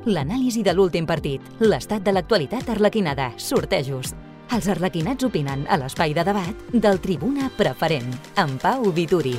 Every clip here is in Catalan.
l'anàlisi de l'últim partit, l'estat de l'actualitat arlequinada, sortejos. Els arlequinats opinen a l'espai de debat del Tribuna Preferent, amb Pau Vituri.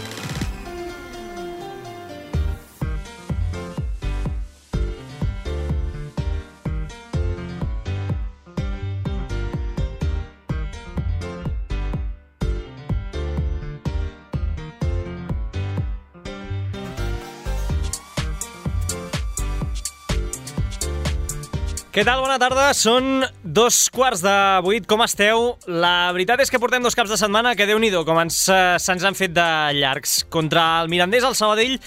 Què tal? Bona tarda. Són 7:15. Com esteu? La veritat és que portem 2 caps de setmana que Déu-n'hi-do com se'ns han fet de llargs. Contra el Mirandés, el Sabadell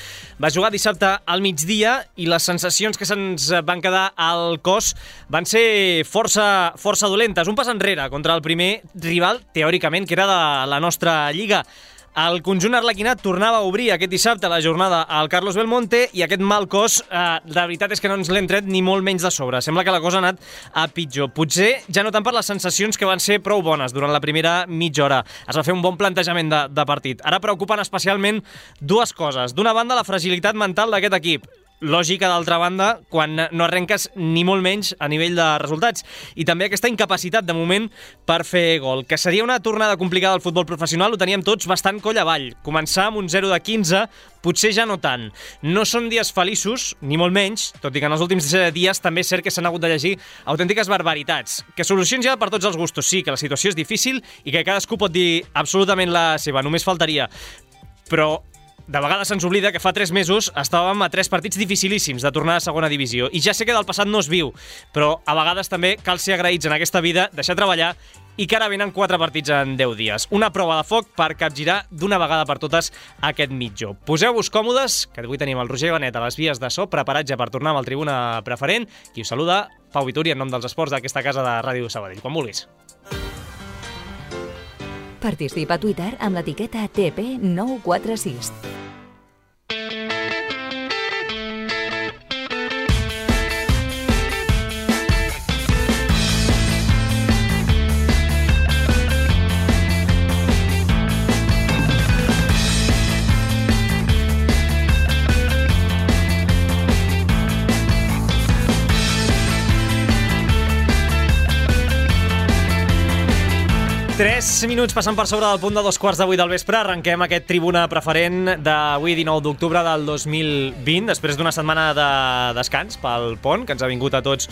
va jugar dissabte al migdia i les sensacions que se'ns van quedar al cos van ser força dolentes. Un pas enrere contra el primer rival, teòricament, que era de la nostra lliga. El conjunt arlequinat tornava a obrir aquest dissabte la jornada al Carlos Belmonte i aquest mal cos, la veritat és que no ens l'hem tret ni molt menys de sobre. Sembla que la cosa ha anat a pitjor. Potser ja no tant per les sensacions que van ser prou bones durant la primera mitja hora. Es va fer un bon plantejament de partit. Ara preocupen especialment 2 coses. D'una banda, la fragilitat mental d'aquest equip. Lògica, d'altra banda, quan no arrenques ni molt menys a nivell de resultats. I també aquesta incapacitat, de moment, per fer gol. Que seria una tornada complicada al futbol professional, ho teníem tots bastant coll avall. Començar amb un 0 de 15, potser ja no tant. No són dies feliços, ni molt menys, tot i que en els últims dies també és cert que s'han hagut de llegir autèntiques barbaritats. Que solucions hi ha per tots els gustos, sí, que la situació és difícil i que cadascú pot dir absolutament la seva, només faltaria. Però de vegades se'ns oblida que fa 3 mesos estàvem a 3 partits dificilíssims de tornar a segona divisió. I ja sé que del passat no es viu, però a vegades també cal ser agraïts en aquesta vida, deixar treballar i que ara venen 4 partits en 10 dies. Una prova de foc per capgirar d'una vegada per totes aquest mitjó. Poseu-vos còmodes, que avui tenim el Roger Benet a les vies de so, preparat ja per tornar amb el Tribuna Preferent. Qui us saluda, Pau Vituri, en nom dels esports d'aquesta casa de Ràdio Sabadell. Quan vulguis. Participa a Twitter amb l'etiqueta TP946. Tres minuts passant per sobre del punt de 7:15 del vespre. Arrenquem aquest Tribuna Preferent d'avui, 19 d'octubre del 2020, després d'una setmana de descans pel pont, que ens ha vingut a tots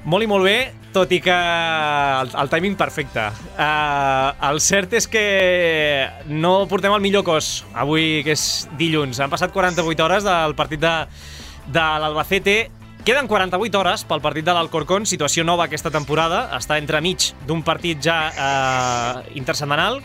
molt i molt bé, tot i que el timing perfecte. El cert és que no portem el millor cos avui, que és dilluns. Han passat 48 hores del partit de l'Albacete. Queden 48 hores pel partit de l'Alcorcón, situació nova aquesta temporada, està entremig d'un partit ja intersetmanal,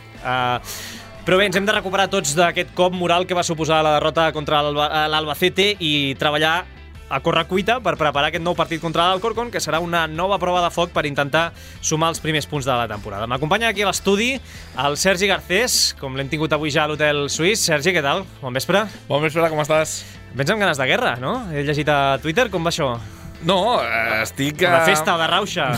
però bé, ens hem de recuperar tots d'aquest cop moral que va suposar la derrota contra l'Albacete i treballar a correcuita per preparar aquest nou partit contra l'Alcorcón, que serà una nova prova de foc per intentar sumar els primers punts de la temporada. M'acompanya aquí a l'estudi el Sergi Garcés, com l'hem tingut avui ja a l'Hotel Suís. Sergi, què tal? Bon vespre. Bon vespre, com estàs? Vens amb ganes de guerra, no? He llegit a Twitter, com va això? No, estic... De festa, de rauxa.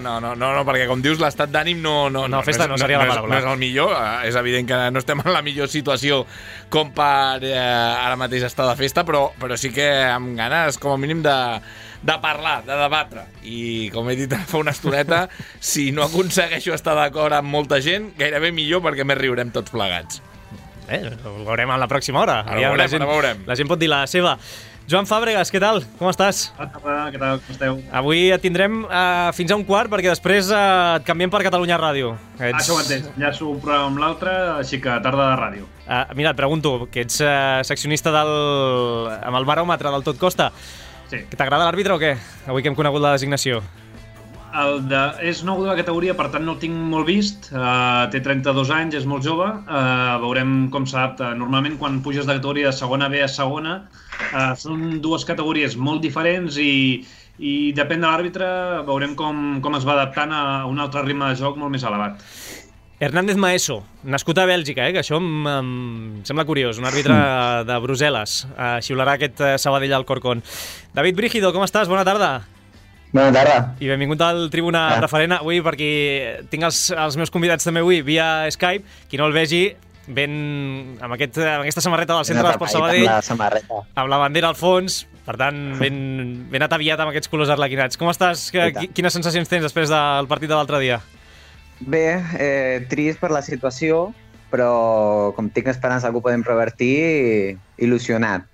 No, perquè com dius, l'estat d'ànim no festa no seria la paraula. No és el millor, és evident que no estem en la millor situació com per ara mateix estar de festa, però sí que amb ganes, com a mínim, de parlar, de debatre. I, com he dit fa una estoneta, si no aconsegueixo estar d'acord amb molta gent, gairebé millor, perquè més riurem tots plegats. Ho veurem a la pròxima hora. Ara veurem. La gent pot dir la seva. Joan Fàbregas, què tal? Com estàs? Què tal? Com esteu? Avui et tindrem fins a 1:15 perquè després et canviem per Catalunya Ràdio. Això ho entenc. Ja sou un programa amb l'altre, així que tarda de ràdio. Mira, et pregunto, que ets seccionista amb el baròmetre del Tot Costa. Sí. T'agrada l'àrbitre o què? Avui que hem conegut la designació. És nou de la categoria, per tant no el tinc molt vist. Té 32 anys, és molt jove. Veurem com s'adapta. Normalment, quan puges de categoria de segona B a segona, són 2 categories molt diferents i depèn de l'àrbitre, veurem com es va adaptant a un altre ritme de joc molt més elevat. Hernández Maeso, nascut a Bèlgica, que això em sembla curiós, un àrbitre de Brussel·les. Xiularà aquest Sabadell Alcorcón. David Brígido, com estàs? Bona tarda. Bona tarda. I benvingut al Tribuna Preferent avui, perquè tinc els meus convidats també avui via Skype. Qui no el vegi, ben amb aquesta samarreta del Centre d'Esports Sabadell, amb la bandera al fons, Per tant, ben ataviat amb aquests colors arlequinats. Com estàs? Quines sensacions tens després del partit de l'altre dia? Bé, trist per la situació, però com tinc esperança que ho podem revertir, il·lusionat.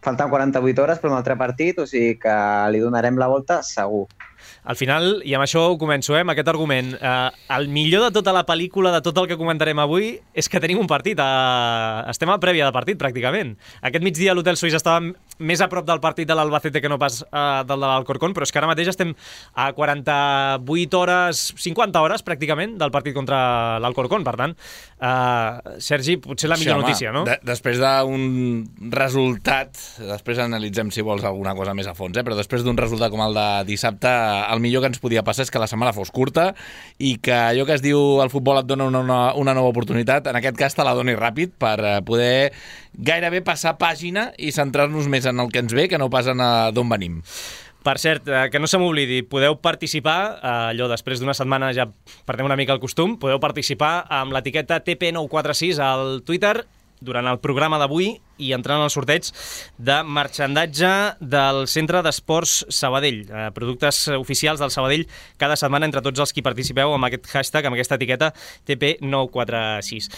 Falten 48 hores per un altre partit, o sigui que li donarem la volta segur. Al final, i amb això ho començo, amb aquest argument, el millor de tota la pel·lícula, de tot el que comentarem avui, és que tenim un partit. Estem a prèvia de partit, pràcticament. Aquest migdia l'Hotel Suís estava més a prop del partit de l'Albacete que no pas del de l'Alcorcón, però és que ara mateix estem a 48 hores, 50 hores, pràcticament, del partit contra l'Alcorcón. Per tant, Sergi, potser la millor notícia, no? Després d'un resultat, després analitzem, si vols, alguna cosa més a fons, però després d'un resultat com el de dissabte, el millor que ens podia passar és que la setmana fos curta i que allò que es diu el futbol et dona una nova oportunitat, en aquest cas te la doni ràpid per poder gairebé passar pàgina i centrar-nos més en el que ens ve que no pas en d'on venim. Per cert, que no se m'oblidi, podeu participar, allò després d'una setmana ja perdem una mica el costum, podeu participar amb l'etiqueta TP946 al Twitter durant el programa d'avui i entrant al sorteig de marxandatge del Centre d'Esports Sabadell. Productes oficials del Sabadell cada setmana entre tots els qui participeu amb aquest hashtag, amb aquesta etiqueta TP946.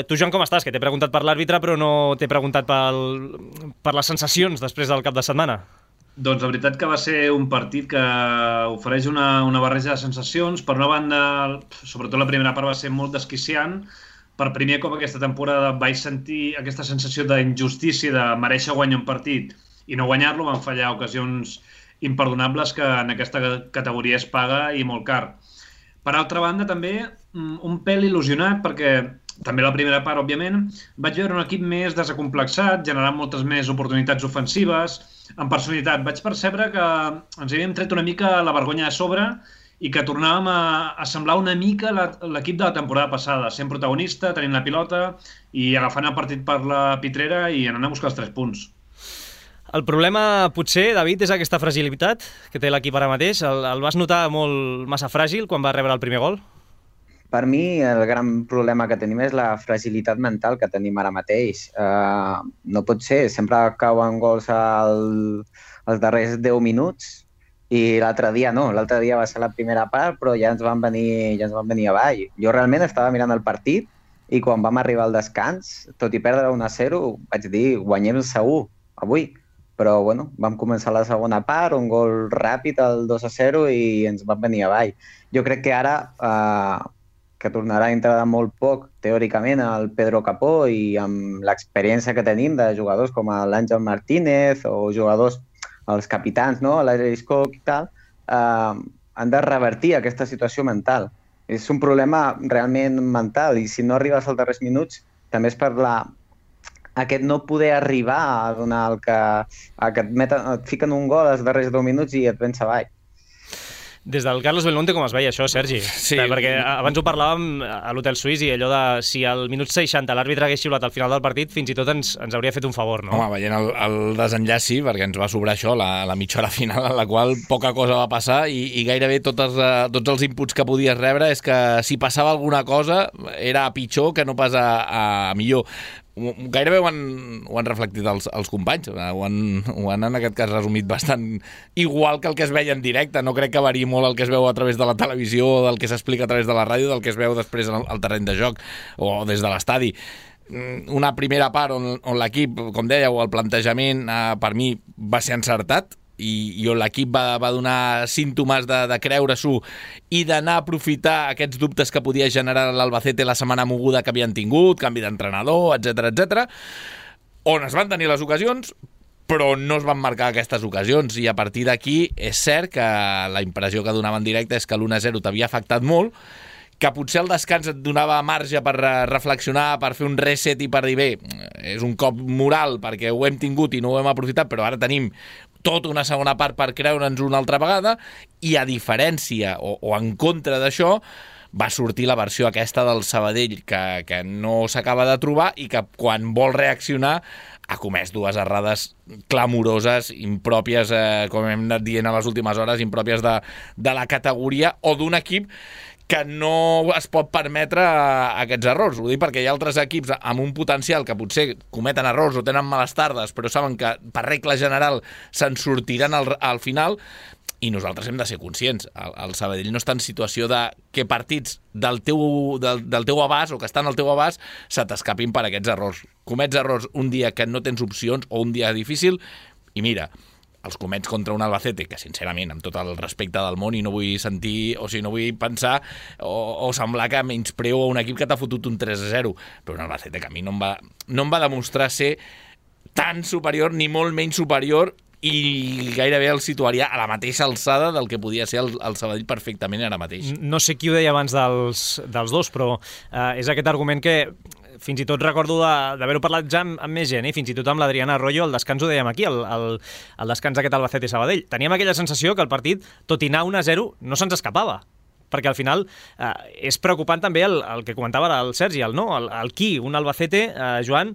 Tu, Joan, com estàs? Que t'he preguntat per l'àrbitre, però no t'he preguntat per les sensacions després del cap de setmana. Doncs la veritat que va ser un partit que ofereix una barreja de sensacions. Per una banda, sobretot la primera part va ser molt desquiciant. Per primer cop aquesta temporada vaig sentir aquesta sensació d'injustícia, de mereixer guanyar un partit i no guanyar-lo. Van fallar ocasions imperdonables que en aquesta categoria es paga i molt car. Per altra banda, també un pèl il·lusionat, perquè també la primera part, òbviament, vaig veure un equip més desacomplexat, generant moltes més oportunitats ofensives, amb personalitat. Vaig percebre que ens havíem tret una mica la vergonya de sobre i que tornàvem a semblar una mica l'equip de la temporada passada, sent protagonista, tenint la pilota i agafant el partit per la pitrera i anant a buscar els 3 punts. El problema, potser, David, és aquesta fragilitat que té l'equip ara mateix. El vas notar massa fràgil quan va rebre el primer gol? Per mi, el gran problema que tenim és la fragilitat mental que tenim ara mateix. No pot ser, sempre cauen gols als darrers 10 minuts, i l'altre dia no, l'altre dia va ser la primera part, però ja ens van venir avall. Jo realment estava mirant el partit i quan vam arribar al descans, tot i perdre 1-0, vaig dir, guanyem segur, avui. Però bueno, vam començar la segona part, un gol ràpid, el 2-0, i ens van venir avall. Jo crec que ara, que tornarà a entrar de molt poc, teòricament, el Pedro Capó, i amb l'experiència que tenim de jugadors com l'Àngel Martínez o jugadors els capitans, no? l'Aris Coc i tal, han de revertir aquesta situació mental. És un problema realment mental i si no arribes als darrers minuts també és per aquest no poder arribar a donar el que et fiquen un gol als darrers 10 minuts i et vens avall. Des del Carlos Belmonte com es veia això, Sergi? Sí. Perquè abans ho parlàvem a l'Hotel Suís i allò de si al minut 60 l'àrbitre hagués xiulat al final del partit, fins i tot ens hauria fet un favor, no? Home, veient el desenllaç sí, perquè ens va sobrar això, la mitja hora final, en la qual poca cosa va passar i gairebé tots els inputs que podies rebre és que si passava alguna cosa era pitjor que no pas a millor. Gairebé ho han reflectit els companys, ho han en aquest cas resumit bastant igual que el que es veia en directe. No crec que variï molt el que es veu a través de la televisió, del que s'explica a través de la ràdio, del que es veu després al terreny de joc o des de l'estadi. Una primera part on l'equip, com dèieu, el plantejament per mi va ser encertat i on l'equip va donar símptomes de creure-s'ho i d'anar a aprofitar aquests dubtes que podia generar l'Albacete la setmana moguda que havien tingut, canvi d'entrenador, etc, on es van tenir les ocasions, però no es van marcar aquestes ocasions i a partir d'aquí és cert que la impressió que donava en directe és que l'1-0 t'havia afectat molt, que potser el descans et donava marge per reflexionar, per fer un reset i per dir, bé, és un cop moral perquè ho hem tingut i no ho hem aprofitat, però ara tenim tota una segona part per creure'ns una altra vegada i a diferència o en contra d'això va sortir la versió aquesta del Sabadell que no s'acaba de trobar i que quan vol reaccionar ha comès 2 errades clamoroses, impròpies, com hem anat dient a les últimes hores, impròpies de la categoria o d'un equip que no es pot permetre aquests errors. Ho dic perquè hi ha altres equips amb un potencial que potser cometen errors o tenen males tardes, però saben que per regla general se'n sortiran al final, i nosaltres hem de ser conscients. El Sabadell no està en situació de que partits del teu abast o que estan al teu abast se t'escapin per aquests errors. Comets errors un dia que no tens opcions o un dia difícil i mira, els comets contra un Albacete, que sincerament, amb tot el respecte del món, i no vull sentir, o sigui, no vull pensar o semblar que menyspreo a un equip que t'ha fotut un 3-0, però un Albacete que a mi no em va demostrar ser tan superior ni molt menys superior, i gairebé el situaria a la mateixa alçada del que podia ser el Sabadell perfectament ara mateix. No sé qui ho deia abans dels dos, però és aquest argument que fins i tot recordo d'haver-ho parlat ja amb més gent, fins i tot amb l'Adriana Arroyo, al descans ho dèiem aquí, el descans d'aquest Albacete-Sabadell. Teníem aquella sensació que el partit, tot i anar 1-0, no se'ns escapava, perquè al final és preocupant també el que comentava el Sergi, el qui, un Albacete, Joan,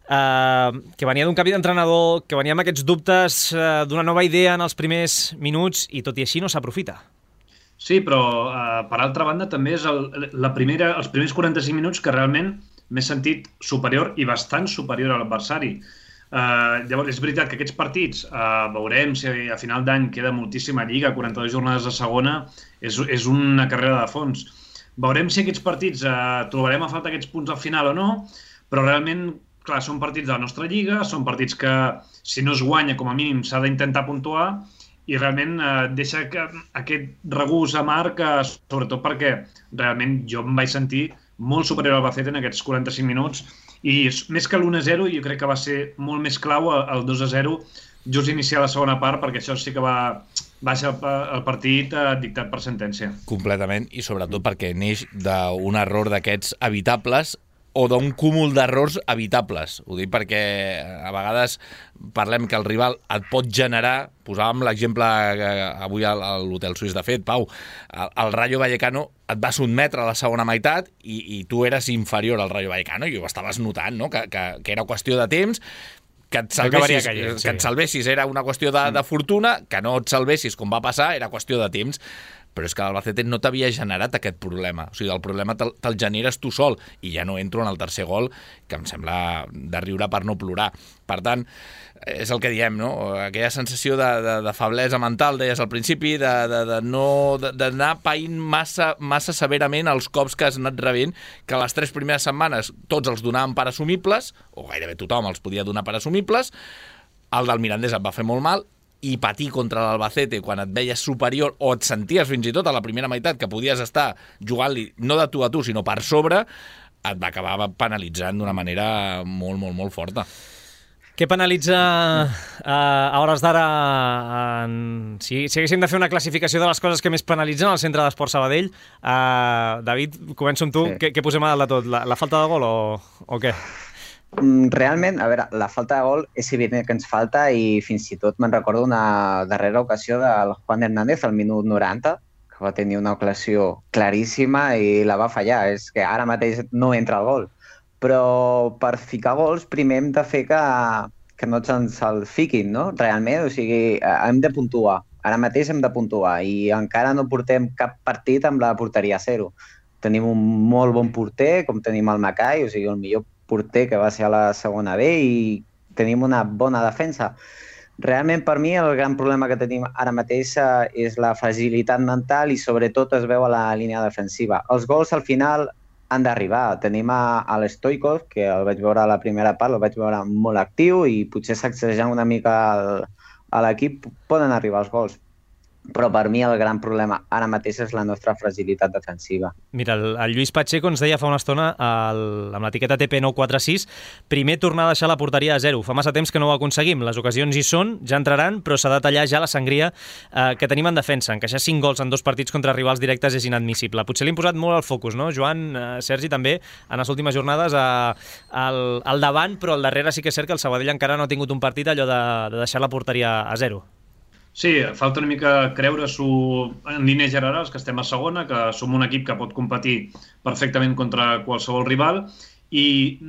que venia d'un canvi d'entrenador, que venia amb aquests dubtes d'una nova idea en els primers minuts i tot i així no s'aprofita. Sí, però per altra banda també és els primers 45 minuts que realment m'he sentit superior i bastant superior a l'adversari. Llavors, és veritat que aquests partits, veurem si a final d'any queda moltíssima lliga, 42 jornades de segona, és una carrera de fons. Veurem si aquests partits trobarem a falta aquests punts al final o no, però realment, clar, són partits de la nostra lliga, són partits que, si no es guanya, com a mínim s'ha d'intentar puntuar, i realment deixa aquest regús amarg, sobretot perquè realment jo em vaig sentir molt superior al Albacete en aquests 45 minuts, i més que l'1-0 jo crec que va ser molt més clau el 2-0 just iniciar la segona part, perquè això sí que va ser el partit dictat per sentència. Completament, i sobretot perquè neix d'un error d'aquests evitables o d'un cúmul d'errors evitables. Ho dic perquè a vegades parlem que el rival et pot generar, posàvem l'exemple avui a l'Hotel Suís, de fet, Pau, el Rayo Vallecano et va sotmetre a la segona meitat i tu eres inferior al Rayo Vallecano i ho estaves notant, no? que era qüestió de temps, que et salvessis era una qüestió de fortuna, que no et salvessis com va passar era qüestió de temps. Però és que l'Albacete no t'havia generat aquest problema. O sigui, el problema te'l generes tu sol, i ja no entro en el tercer gol, que em sembla de riure per no plorar. Per tant, és el que diem, no? Aquella sensació de feblesa mental, deies al principi, d'anar païnt massa severament els cops que has anat rebent, que les 3 primeres setmanes tots els donàvem per assumibles, o gairebé tothom els podia donar per assumibles, el del Mirandés et va fer molt mal, i patir contra l'Albacete quan et veies superior o et senties fins i tot a la primera meitat que podies estar jugant-li no de tu a tu sinó per sobre, et va acabar penalitzant d'una manera molt, molt, molt forta. Què penalitza a hores d'ara? Si haguéssim de fer una classificació de les coses que més penalitzen al Centre d'Esport Sabadell, David, començo amb tu. Sí. Què posem a dalt de tot? La falta de gol o què? Realment, a veure, la falta de gol és evident que ens falta i fins i tot me'n recordo una darrera ocasió del Juan Hernández al minut 90, que va tenir una ocasió claríssima i la va fallar. És que ara mateix no entra el gol. Però per ficar gols primer hem de fer que no ens el fiquin, no? Realment, o sigui, hem de puntuar. Ara mateix hem de puntuar i encara no portem cap partit amb la porteria a 0. Tenim un molt bon porter, com tenim el Macai, o sigui, el millor porter que va ser a la segona B, i tenim una bona defensa. Realment, per mi, el gran problema que tenim ara mateix és la fragilitat mental i sobretot es veu a la línia defensiva. Els gols al final han d'arribar. Tenim a l'Stoikov, que el vaig veure a la primera part, el vaig veure molt actiu i potser sacsejant una mica a l'equip poden arribar els gols. Però per mi el gran problema ara mateix és la nostra fragilitat defensiva. Mira, el Lluís Pacheco ens deia fa una estona amb l'etiqueta TP946 primer tornar a deixar la porteria a 0. Fa massa temps que no ho aconseguim. Les ocasions hi són, ja entraran, però s'ha de tallar ja la sangria que tenim en defensa. Encaixar 5 gols en 2 partits contra rivals directes és inadmissible. Potser li hem posat molt al focus, no? Joan, Sergi, també, en les últimes jornades al davant, però al darrere sí que és cert que el Sabadell encara no ha tingut un partit allò de deixar la porteria a 0. Sí, falta una mica creure-s'ho en línies generals, que estem a segona, que som un equip que pot competir perfectament contra qualsevol rival, i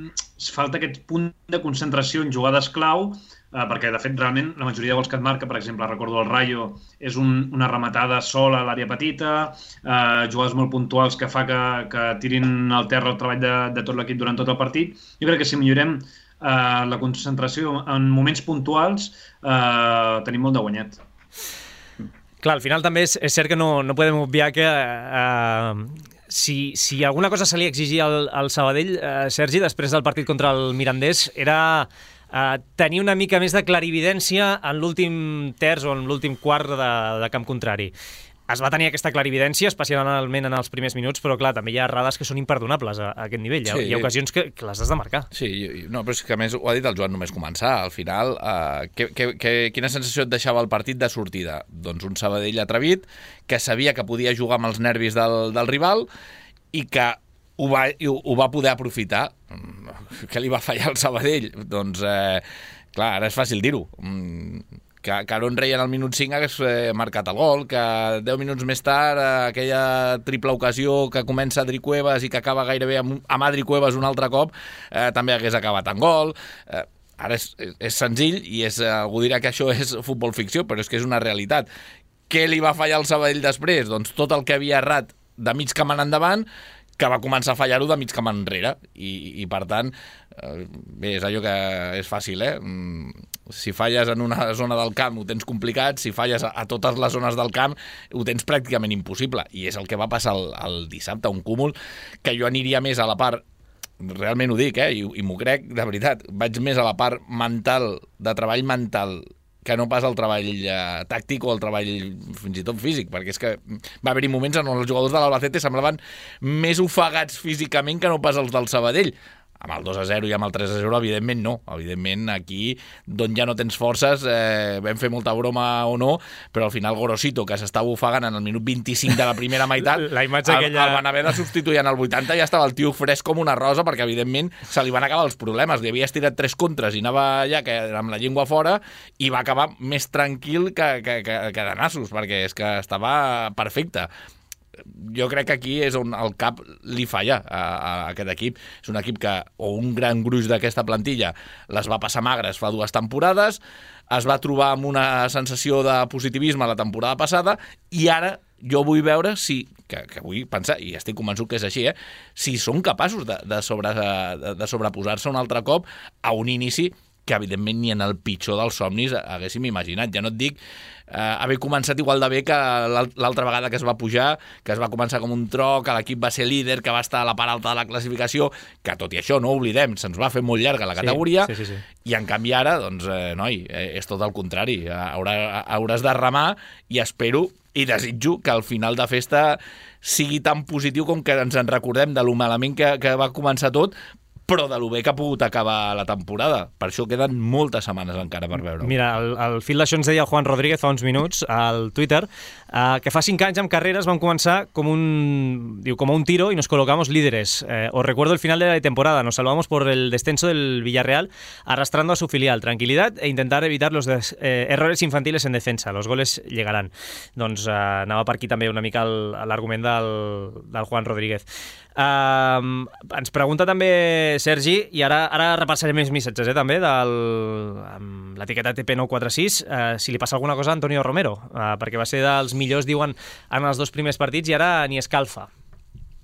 falta aquest punt de concentració en jugades clau, perquè de fet realment la majoria de gols que et marca, per exemple, recordo el Rayo, és una rematada sola a l'àrea petita, jugades molt puntuals que fa que tirin al terra el treball de tot l'equip durant tot el partit. Jo crec que si millorem la concentració en moments puntuals tenim molt de guanyat. Clar, al final també és cert que no podem obviar que si alguna cosa se li exigia al Sabadell, Sergi, després del partit contra el Mirandés, era tenir una mica més de clarividència en l'últim terç o en l'últim quart de camp contrari. Es va tenir aquesta clarividència, especialment en els primers minuts, però clar, també hi ha errades que són imperdonables a aquest nivell. Sí. Hi ha ocasions que les has de marcar. Sí, no, però és que a més ho ha dit el Joan només començar. Al final, quina sensació et deixava el partit de sortida? Doncs un Sabadell atrevit, que sabia que podia jugar amb els nervis del rival i que ho va poder aprofitar. Què li va fallar al Sabadell? Doncs, clar, ara és fàcil dir-ho. Que Aaron Rey en el minut 5 hagués marcat el gol, que 10 minuts més tard aquella triple ocasió que comença a Adri Cuevas i que acaba gairebé amb Adri Cuevas un altre cop, també hagués acabat en gol. Ara és senzill i algú dirà que això és futbol ficció, però és que és una realitat. Què li va fallar al Sabadell després? Doncs tot el que havia errat de mig camp en endavant, que va començar a fallar-ho de mig camp enrere. I per tant, bé, és allò que és fàcil, Si falles en una zona del camp ho tens complicat, si falles a totes les zones del camp ho tens pràcticament impossible. I és el que va passar el dissabte, un cúmul que jo aniria més a la part, realment ho dic, i m'ho crec, de veritat, vaig més a la part mental, de treball mental, que no pas el treball tàctic o el treball fins i tot físic, perquè és que va haver-hi moments en els jugadors de l'Albacete semblaven més ofegats físicament que no pas els del Sabadell. Amb el 2-0 i amb el 3-0, evidentment no. Evidentment, aquí, d'on ja no tens forces, vam fer molta broma o no, però al final Gorosito, que s'estava ofegant en el minut 25 de la primera meitat, la imatge aquella... el van haver de substituir en el 80, ja estava el tio fresc com una rosa, perquè evidentment se li van acabar els problemes. Li havia estirat 3 contres i anava allà amb la llengua fora i va acabar més tranquil que de nassos, perquè és que estava perfecte. Jo crec que aquí és on el cap li falla a aquest equip. És un equip que, o un gran gruix d'aquesta plantilla, les va passar magres fa 2 temporades, es va trobar amb una sensació de positivisme la temporada passada i ara jo vull veure si, que vull pensar, i estic convençut que és així, si són capaços de sobreposar-se un altre cop a un inici que evidentment ni en el pitjor dels somnis haguéssim imaginat. Ja no et dic haver començat igual de bé que l'altra vegada que es va pujar, que es va començar com un tro, que l'equip va ser líder, que va estar a la part alta de la classificació, que tot i això, no oblidem, se'ns va fer molt llarga la categoria, sí. I en canvi ara, doncs, noi, és tot el contrari. Hauràs de remar i espero i desitjo que al final de festa sigui tan positiu com que ens en recordem de lo malament que va començar tot, però de lo bé que ha pogut acabar la temporada. Per això queden moltes setmanes encara per veure-ho. Mira, al fil d'això ens deia el Juan Rodríguez fa uns minuts al Twitter que fa 5 anys amb carreras vam començar como un tiro y nos colocamos líderes. Os recuerdo el final de la temporada. Nos salvamos por el descenso del Villarreal arrastrando a su filial. Tranquilidad e intentar evitar los errores infantiles en defensa. Los goles llegarán. Doncs anava per aquí també una mica l'argument del Juan Rodríguez. Ens pregunta també Sergi, i ara repassaré més missatges també amb l'etiqueta TP946, si li passa alguna cosa a Antonio Romero, perquè va ser dels millors, diuen, en els 2 primers partits i ara ni escalfa.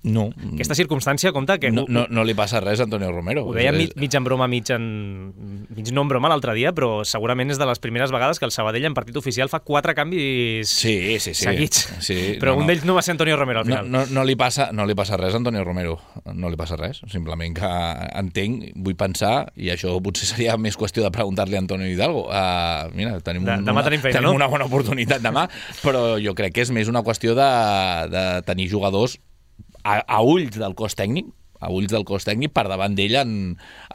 No. Aquesta circumstància compta que... No li passa res a Antonio Romero. Ho deia mig en broma, mig no en broma l'altre dia, però segurament és de les primeres vegades que el Sabadell en partit oficial fa 4 canvis seguits. Sí, però un d'ells no va ser Antonio Romero al final. No li passa res a Antonio Romero. No li passa res. Simplement que entenc, vull pensar, i això potser seria més qüestió de preguntar-li a Antonio Hidalgo. Mira, tenim una bona oportunitat demà, però jo crec que és més una qüestió de tenir jugadors a ulls del cos tècnic, per davant d'ell en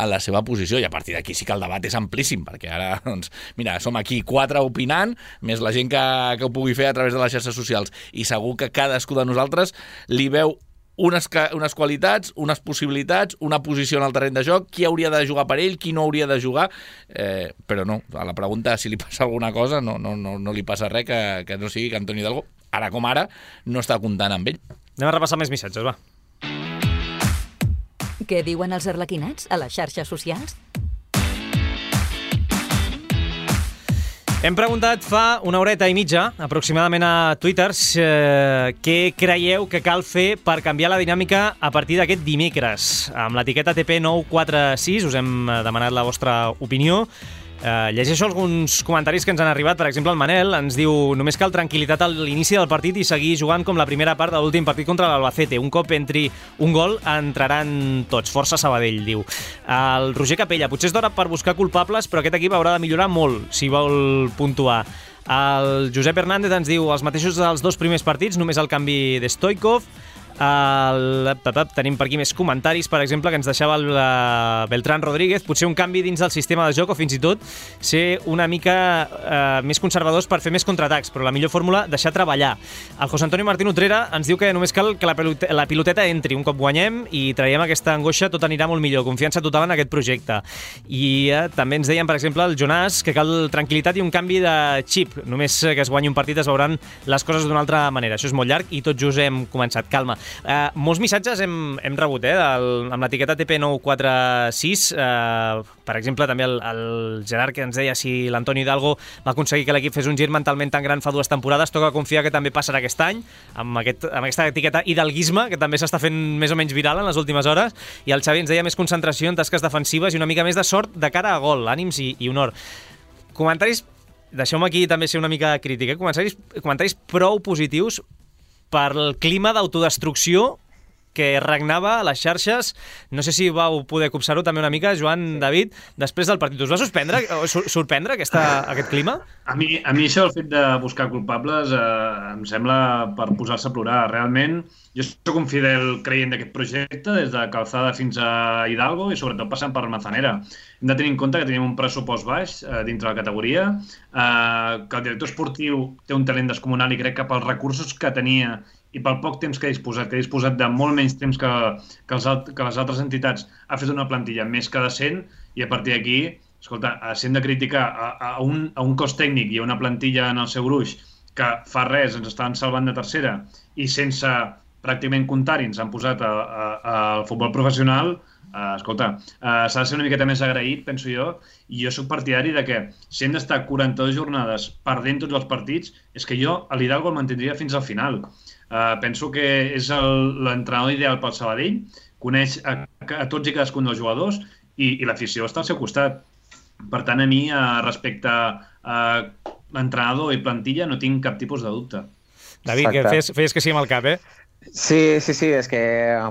la seva posició, i a partir d'aquí sí que el debat és amplíssim, perquè ara, doncs, mira, som aquí 4 opinant, més la gent que ho pugui fer a través de les xarxes socials, i segur que cadascú de nosaltres li veu unes qualitats, unes possibilitats, una posició en el terreny de joc, qui hauria de jugar per ell, qui no hauria de jugar, però no, a la pregunta si li passa alguna cosa, no li passa res que no sigui que Antonio Hidalgo, ara com ara, no està comptant amb ell. Anem a repassar més missatges, va. Què diuen els arlequinats a les xarxes socials? Hem preguntat fa una horeta i mitja, aproximadament a Twitter, què creieu que cal fer per canviar la dinàmica a partir d'aquest dimecres. Amb l'etiqueta TP946 us hem demanat la vostra opinió. Llegeixo alguns comentaris que ens han arribat. Per exemple, el Manel ens diu: només cal tranquil·litat a l'inici del partit i seguir jugant com la primera part de l'últim partit contra l'Albacete. Un cop entri un gol, entraran tots. Força Sabadell, diu. El Roger Capella: potser és d'hora per buscar culpables, però aquest equip haurà de millorar molt si vol puntuar. El Josep Hernández ens diu: els mateixos dels dos primers partits, només el canvi de Stoikov. Tenim per aquí més comentaris, per exemple, que ens deixava el Beltrán Rodríguez. Potser un canvi dins del sistema de joc o fins i tot ser una mica més conservadors per fer més contraatacs, però la millor fórmula, deixar treballar. El José Antonio Martín Utrera ens diu que només cal que la piloteta entri. Un cop guanyem i traiem aquesta angoixa, tot anirà molt millor. Confiança total en aquest projecte. I també ens deien, per exemple, el Jonàs, que cal tranquil·litat i un canvi de xip. Només que es guanyi un partit es veuran les coses d'una altra manera. Això és molt llarg i tot just hem començat. Calma. Molts missatges hem rebut amb l'etiqueta TP946. Per exemple, també el Gerard, que ens deia si l'Antoni Hidalgo va aconseguir que l'equip fes un gir mentalment tan gran fa 2 temporades, toca confiar que també passarà aquest any, amb aquesta etiqueta hidalguisme, que també s'està fent més o menys viral en les últimes hores. I el Xavi ens deia més concentració en tasques defensives i una mica més de sort de cara a gol, ànims i honor. Comentaris, deixeu-me aquí també ser una mica crític, comentaris prou positius per el clima d'autodestrucció que regnava a les xarxes. No sé si vau poder copsar-ho també una mica, Joan, David, després del partit. Us va sorprendre aquest clima? A mi això, el fet de buscar culpables, em sembla per posar-se a plorar. Realment, jo soc un fidel creient d'aquest projecte, des de Calzada fins a Hidalgo i sobretot passant per Manzanera. Hem de tenir en compte que tenim un pressupost baix dintre la categoria, que el director esportiu té un talent descomunal i crec que pels recursos que tenia i pel poc temps que ha disposat de molt menys temps que les altres entitats, ha fet una plantilla més que decent i a partir d'aquí, escolta, si hem de criticar a un cos tècnic i a una plantilla en el seu gruix que fa res, ens estan salvant de tercera i sense pràcticament comptar-hi ens han posat al futbol professional, escolta, s'ha de ser una miqueta més agraït, penso jo, i jo soc partidari de que si hem d'estar 42 jornades perdent tots els partits, és que jo a l'Hidalgo el mantindria fins al final. Penso que és l'entrenador ideal pel Sabadell, coneix a tots i cadascun dels jugadors i l'afició està al seu costat. Per tant, a mi, respecte a l'entrenador i plantilla, no tinc cap tipus de dubte. David, que feies que sí amb el cap, eh? Sí, és que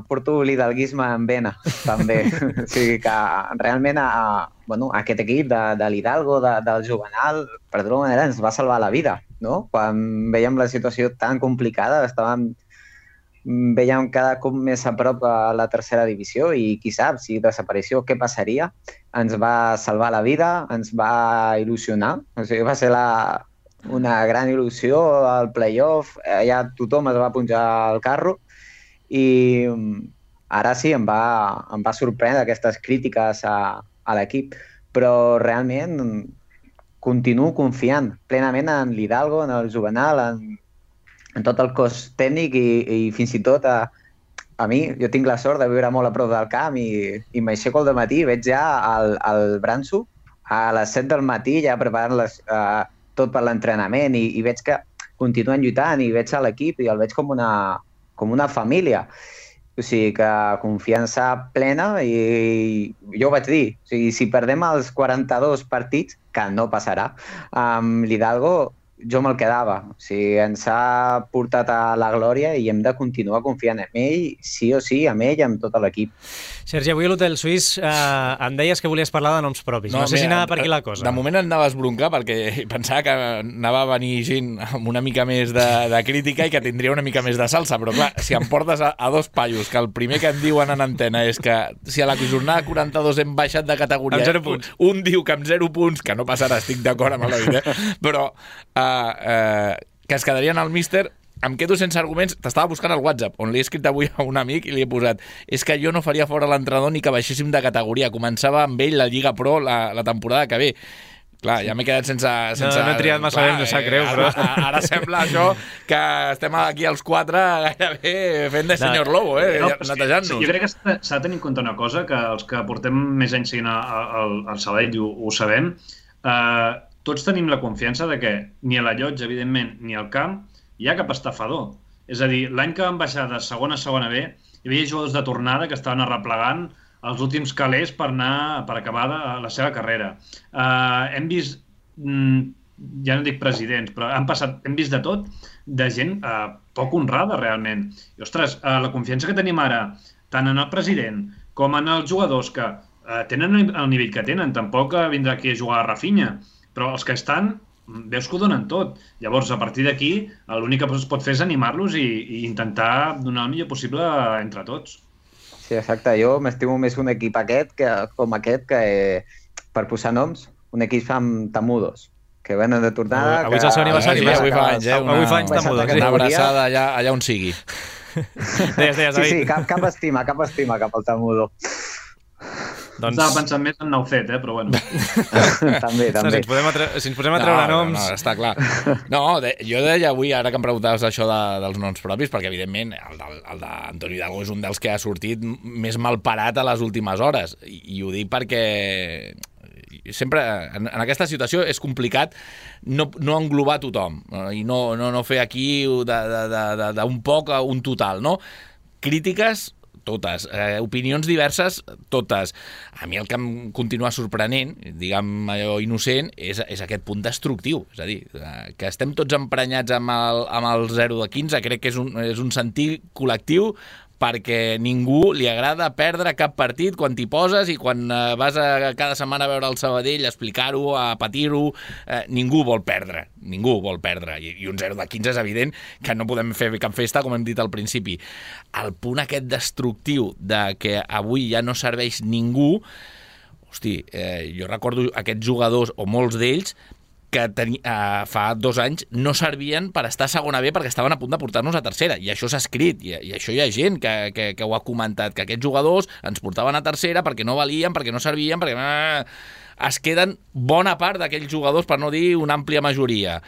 porto l'hidalguisme en vena, també. O sigui que realment aquest equip de l'Hidalgo, del Juvenal, per d'alguna manera ens va salvar la vida, no? Quan veiem la situació tan complicada, veiem cada cop més a prop a la tercera divisió i qui sap, si desapareció, què passaria? Ens va salvar la vida, ens va il·lusionar, o sigui, va ser una gran il·lusió al play-off, ja tothom es va punjar al carro i ara sí em va sorprendre aquestes crítiques a l'equip, però realment continuo confiant plenament en l'Hidalgo, en el Juvenal, en tot el cos tècnic i fins i tot a mi, jo tinc la sort de viure molt a prop del camp i m'aixeco al matí i veig ja el Branso a les 7 del matí ja preparant tot per l'entrenament i veig que continuen lluitant i veig a l'equip i el veig com una família. O sigui que confiança plena i jo ho vaig dir, o sigui, si perdem els 42 partits, que no passarà, amb l'Hidalgo jo me'l quedava. O sigui, ens ha portat a la glòria i hem de continuar confiant en ell, sí o sí, amb ell, amb tot l'equip. Sergi, avui a l'Hotel Suís em deies que volies parlar de noms propis. No sé si anava per aquí la cosa. De moment anava a esbroncar perquè pensava que anava a venir gent amb una mica més de crítica i que tindria una mica més de salsa, però clar, si em portes a dos paios, que el primer que em diuen en antena és que si a la jornada 42 hem baixat de categoria, amb 0 punts. Un diu que amb 0 punts, que no passarà, estic d'acord amb el David, però que es quedarien al míster, em quedo sense arguments. T'estava buscant al WhatsApp, on li he escrit avui a un amic i li he posat: és que jo no faria fora l'entrenador ni que baixéssim de categoria. Començava amb ell la Lliga Pro la temporada que ve. Clar, ja m'he quedat sense... No he triat massa bé, no sap greu, però... Ara sembla això que estem aquí els 4 gairebé fent de senyor Lobo, netejant-nos. Jo crec que s'ha de tenir en compte una cosa, que els que portem més anys seguint al Sabadell ho sabem. tots tenim la confiança de que ni a la llotja, evidentment, ni al camp hi ha cap estafador. És a dir, l'any que van baixar de segona a segona B, hi havia jugadors de tornada que estaven arreplegant els últims calés per acabar la seva carrera. Hem vist, ja no dic presidents, però hem vist de tot, de gent poc honrada, realment. I, ostres, la confiança que tenim ara, tant en el president com en els jugadors que tenen el nivell que tenen, tampoc vindrà aquí a jugar a Rafinha, però els que estan, veus que ho donen tot. Llavors, a partir d'aquí, l'únic que es pot fer és animar-los i intentar donar el millor possible entre tots. Sí, exacte. Jo m'estimo més un equip com aquest que, per posar noms, un equip amb tamudos, que venen de tornada... Avui és el seu aniversari. Avui fa anys, Avui fa anys tamudos. Una abraçada allà on sigui. Sí, cap estima cap al tamudo. Estava pensant més en Naucet, però bueno. També. Si ens posem a treure noms... No, està clar. No, jo deia avui, ara que em preguntaves això dels noms propis, perquè evidentment el d'Antonio Hidalgo és un dels que ha sortit més malparat a les últimes hores. I ho dic perquè sempre en aquesta situació és complicat no englobar tothom i no fer aquí d'un poc a un total, no? Crítiques totes, opinions diverses, totes. A mi el que em continua sorprenent, diguem allò innocent, és aquest punt destructiu. És a dir, que estem tots emprenyats amb el 0 de 15, crec que és un sentir col·lectiu, perquè ningú li agrada perdre cap partit quan t'hi poses i quan vas cada setmana a veure el Sabadell, a explicar-ho, a patir-ho, ningú vol perdre. I un 0 de 15 és evident que no podem fer cap festa, com hem dit al principi. El punt aquest destructiu de que avui ja no serveix ningú, hosti, jo recordo aquests jugadors, o molts d'ells, que fa 2 anys no servien per estar a segona B perquè estaven a punt de portar-nos a tercera, i això s'ha escrit, i això hi ha gent que ho ha comentat, que aquests jugadors ens portaven a tercera perquè no valien, perquè no servien, perquè es queden bona part d'aquells jugadors, per no dir una àmplia majoria.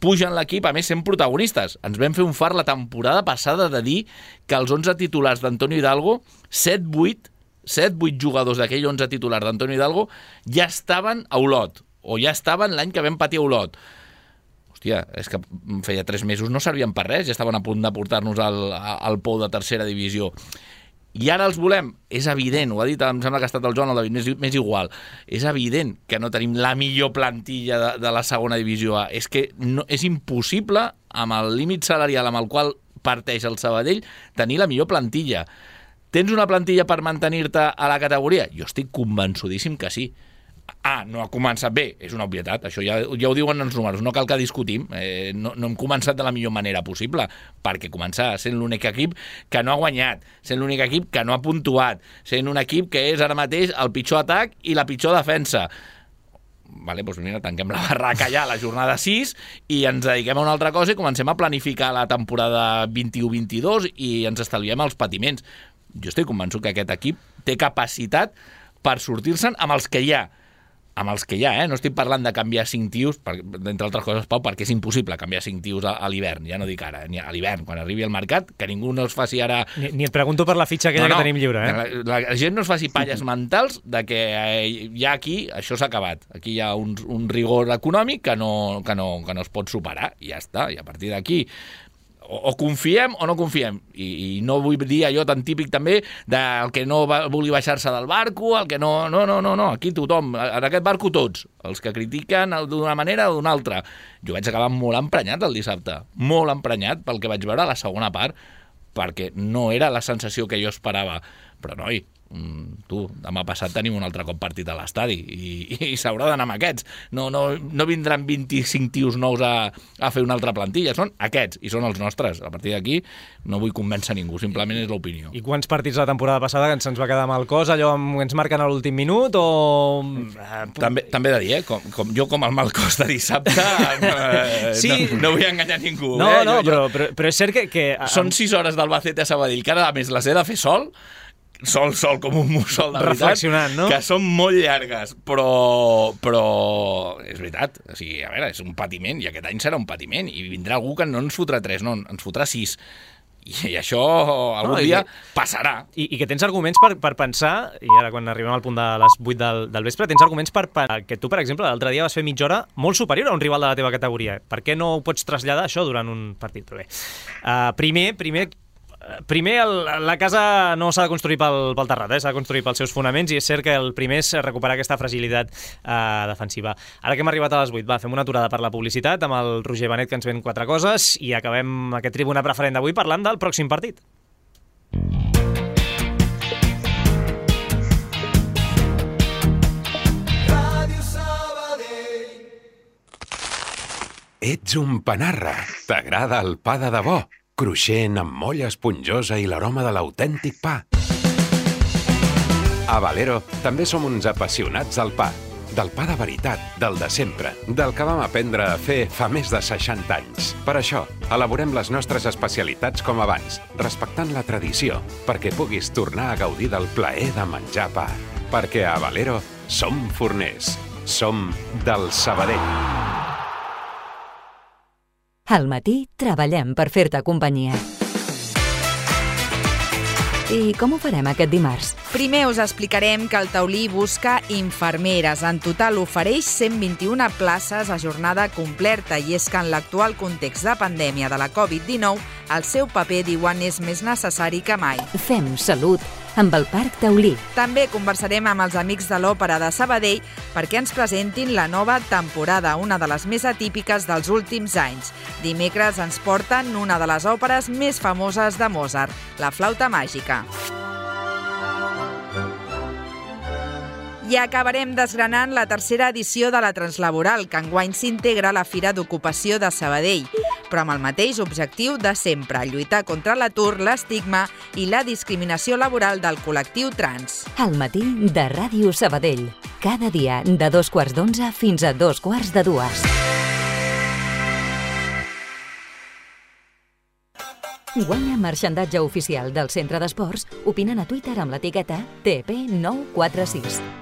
Pugen l'equip, a més sent protagonistes. Ens vam fer un fart la temporada passada de dir que els 11 titulars d'Antonio Hidalgo, 7-8 jugadors d'aquell 11 titulars d'Antonio Hidalgo ja estaven a Olot, o ja estaven l'any que vam patir a Olot. Hòstia, és que feia 3 mesos no servien per res, ja estaven a punt de portar-nos al pou de tercera divisió. I ara els volem. És evident, ho ha dit, em sembla que ha estat el Joan o el David, m'és igual. És evident que no tenim la millor plantilla de la segona divisió A. És que és impossible, amb el límit salarial amb el qual parteix el Sabadell, tenir la millor plantilla. Tens una plantilla per mantenir-te a la categoria? Jo estic convençudíssim que sí. No ha començat bé, és una obvietat, això ja ho diuen els números, no cal que discutim, no hem començat de la millor manera possible, perquè començar sent l'únic equip que no ha guanyat, sent l'únic equip que no ha puntuat, sent un equip que és ara mateix el pitjor atac i la pitjor defensa. Vale, doncs mira, tanquem la barraca ja a la jornada 6 i ens dediquem a una altra cosa i comencem a planificar la temporada 21-22 i ens estalviem els patiments. Jo estic convençut que aquest equip té capacitat per sortir-se'n amb els que hi ha. No estic parlant de canviar 5 tios, d'entre altres coses, Pau, perquè és impossible canviar 5 tios a l'hivern, ja no dic ara, ni a l'hivern, quan arribi al mercat, que ningú no es faci ara... Ni et pregunto per la fitxa aquella que tenim lliure, La gent no es faci palles mentals de que ja aquí això s'ha acabat. Aquí hi ha un rigor econòmic que no es pot superar, i ja està, i a partir d'aquí o confiem o no confiem, i no vull dir allò tan típic també del que no vulgui baixar-se del barco, el que no, aquí tothom, en aquest barco tots, els que critiquen d'una manera o d'una altra. Jo vaig acabar molt emprenyat el dissabte, molt emprenyat pel que vaig veure a la segona part, perquè no era la sensació que jo esperava, però noi, demà passat tenim un altre cop partit a l'estadi i s'haurà d'anar amb aquests. No vindran 25 tios nous a fer una altra plantilla, són aquests i són els nostres. A partir d'aquí no vull convèncer ningú, simplement és l'opinió. I quants partits la temporada passada que se'ns va quedar amb el cos, allò ens marquen a l'últim minut o... També he de dir, com el mal cos de dissabte sí. no vull enganyar ningú. Però és cert que... Són 6 hores d'Albacete a Sabadell, que ara a més les he de fer sol com un mussol de veritat, reflexionant, no? Que són molt llargues, però és veritat, o sigui, a veure, és un patiment, i aquest any serà un patiment, i vindrà algú que no ens fotrà 3, no, ens fotrà 6, I això algun dia passarà. I que tens arguments per pensar, i ara quan arribem al punt de les 8 del vespre, tens arguments que tu, per exemple, l'altre dia vas fer mitja hora molt superior a un rival de la teva categoria. Per què no ho pots traslladar, això, durant un partit? Però bé, primer la casa no s'ha de construir pel terrat, s'ha de construir pels seus fonaments, i és cert que el primer és recuperar aquesta fragilitat defensiva. Ara que hem arribat a les 8, fem una aturada per la publicitat amb el Roger Benet, que ens ven 4 coses, i acabem aquest Tribuna Preferent d'avui parlant del pròxim partit. Ets un panarra. T'agrada el pa de debò? Cruixent, amb molla esponjosa i l'aroma de l'autèntic pa. A Valero també som uns apassionats del pa. Del pa de veritat, del de sempre, del que vam aprendre a fer fa més de 60 anys. Per això, elaborem les nostres especialitats com abans, respectant la tradició, perquè puguis tornar a gaudir del plaer de menjar pa. Perquè a Valero som forners. Som del Sabadell. Al matí treballem per fer-te companyia. I com ho farem aquest dimarts? Primer us explicarem que el Taulí busca infermeres. En total ofereix 121 places a jornada completa, i és que en l'actual context de pandèmia de la Covid-19 el seu paper, diuen, és més necessari que mai. Fem salut amb el Parc Taulí. També conversarem amb els amics de l'Òpera de Sabadell perquè ens presentin la nova temporada, una de les més atípiques dels últims anys. Dimecres ens porten una de les òperes més famoses de Mozart, La flauta màgica. I acabarem desgranant la tercera edició de la Translaboral, que enguany s'integra a la Fira d'Ocupació de Sabadell, però amb el mateix objectiu de sempre, lluitar contra l'atur, l'estigma i la discriminació laboral del col·lectiu trans. Al matí de Ràdio Sabadell. Cada dia de 11:15 fins a 14:45. Guanya marxandatge oficial del Centre d'Esports opinant a Twitter amb l'etiqueta TP946.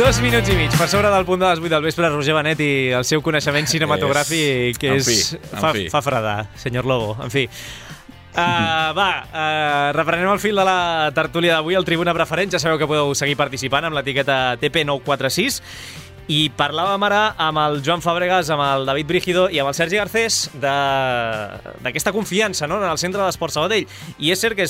Dos minuts i mig per sobre del punt de les 8 del vespre, Roger Benet i el seu coneixement cinematogràfic, que fa fredar, senyor Lobo. En fi, reprenem el fil de la tertúlia d'avui, el Tribuna Preferent. Ja sabeu que podeu seguir participant amb l'etiqueta TP946. I parlàvem ara amb el Joan Fàbregas, amb el David Brígido i amb el Sergi Garcés d'aquesta confiança, no?, en el Centre d'Esport Sabadell. I és cert que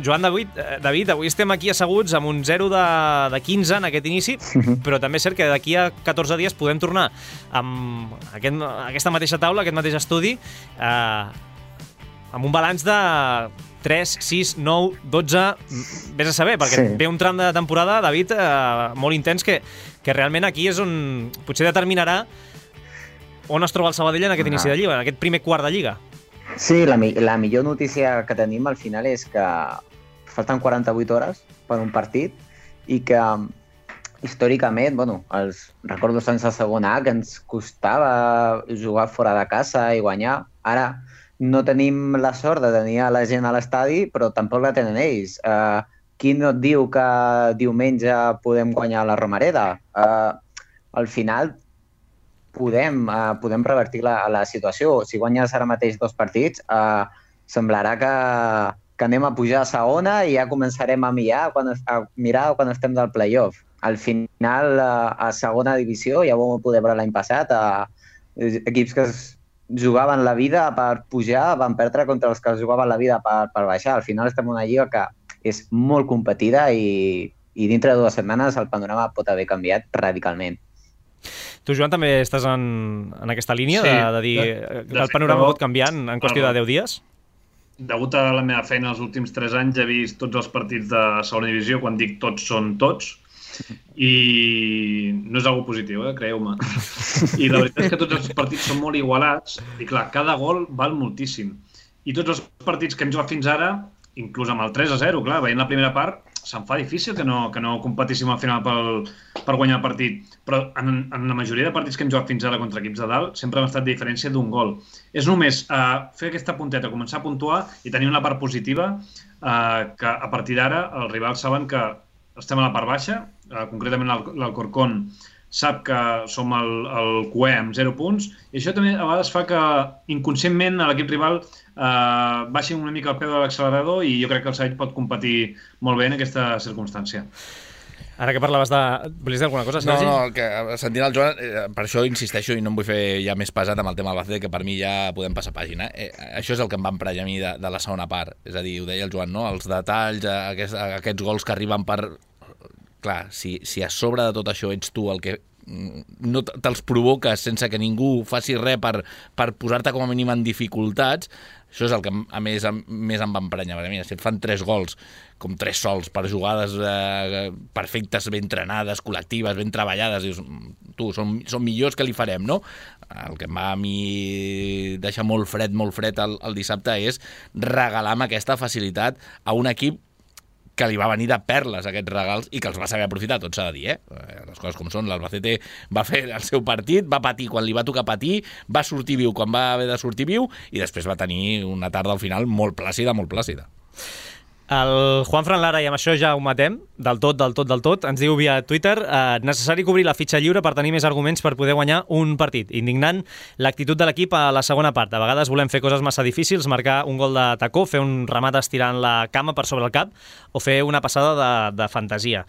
Joan, David, avui estem aquí asseguts amb un 0 de 15 en aquest inici, però també és cert que d'aquí a 14 dies podem tornar amb aquesta mateixa taula, aquest mateix estudi, amb un balanç de 3, 6, 9, 12... Vés a saber, perquè ve un tram de temporada, David, molt intens, que realment aquí és on potser determinarà on es troba el Sabadell en aquest inici de Lliga, en aquest primer quart de Lliga. Sí, la millor notícia que tenim al final és que falten 48 hores per un partit i que històricament, els recordos anys de segona A, que ens costava jugar fora de casa i guanyar. Ara no tenim la sort de tenir la gent a l'estadi, però tampoc la tenen ells. Qui no et diu que diumenge podem guanyar la Romareda? Al final podem revertir la situació. Si guanyes ara mateix 2 partits, semblarà que anem a pujar a segona i ja començarem a mirar quan estem del play-off. Al final, a segona divisió, ja ho vam poder veure l'any passat, equips que jugaven la vida per pujar, van perdre contra els que jugaven la vida per baixar. Al final estem en una lliga que és molt competida i dintre de 2 setmanes el panorama pot haver canviat radicalment. Tu, Joan, també estàs en aquesta línia de dir que el panorama pot canviar en qüestió de 10 dies? Degut a la meva feina els últims 3 anys he vist tots els partits de segona divisió. Quan dic tots, són tots. I no és algo positiu, creieu-me. I la veritat és que tots els partits són molt igualats i clar, cada gol val moltíssim. I tots els partits que hem jugat fins ara, inclús amb el 3-0, clar, veient la primera part, se'm fa difícil que no competíssim al final per guanyar el partit. Però en la majoria de partits que hem jugat fins ara contra equips de dalt sempre hem estat de diferència d'un gol. És només fer aquesta punteta, començar a puntuar i tenir una part positiva que a partir d'ara els rivals saben que estem a la part baixa, concretament l'Alcorcón sap que som el QE amb 0 punts, i això també a vegades fa que inconscientment l'equip rival baixi una mica el peu de l'accelerador, i jo crec que el Sabadell pot competir molt bé en aquesta circumstància. Ara que parlaves de... Volies dir alguna cosa, Sergi? No, que sentint el Joan, per això insisteixo i no em vull fer ja més pesat amb el tema del Albacete, que per mi ja podem passar pàgina. Això és el que em va emprenyar a mi de la segona part. És a dir, ho deia el Joan, no? Els detalls, aquests gols que arriben per... Clar, si a sobre de tot això ets tu el que no te'ls provoques sense que ningú faci res per posar-te com a mínim en dificultats, això és el que a més em va emprenyar. Si et fan 3 gols, com 3 sols, per jugades perfectes, ben entrenades, col·lectives, ben treballades, dius, tu, són millors que li farem, no? El que em va a mi deixar molt fred el dissabte és regalar amb aquesta facilitat a un equip que li va venir de perles aquests regals i que els va saber aprofitar, tot s'ha de dir, les coses com són. L'Albacete va fer el seu partit, va patir quan li va tocar patir, va sortir viu quan va haver de sortir viu, i després va tenir una tarda al final molt plàcida, molt plàcida. El Juanfran Lara, i amb això ja ho matem, del tot, ens diu via Twitter: necessari cobrir la fitxa lliure per tenir més arguments per poder guanyar un partit. Indignant l'actitud de l'equip a la segona part. A vegades volem fer coses massa difícils, marcar un gol de tacó, fer un remat estirant la cama per sobre el cap o fer una passada de fantasia.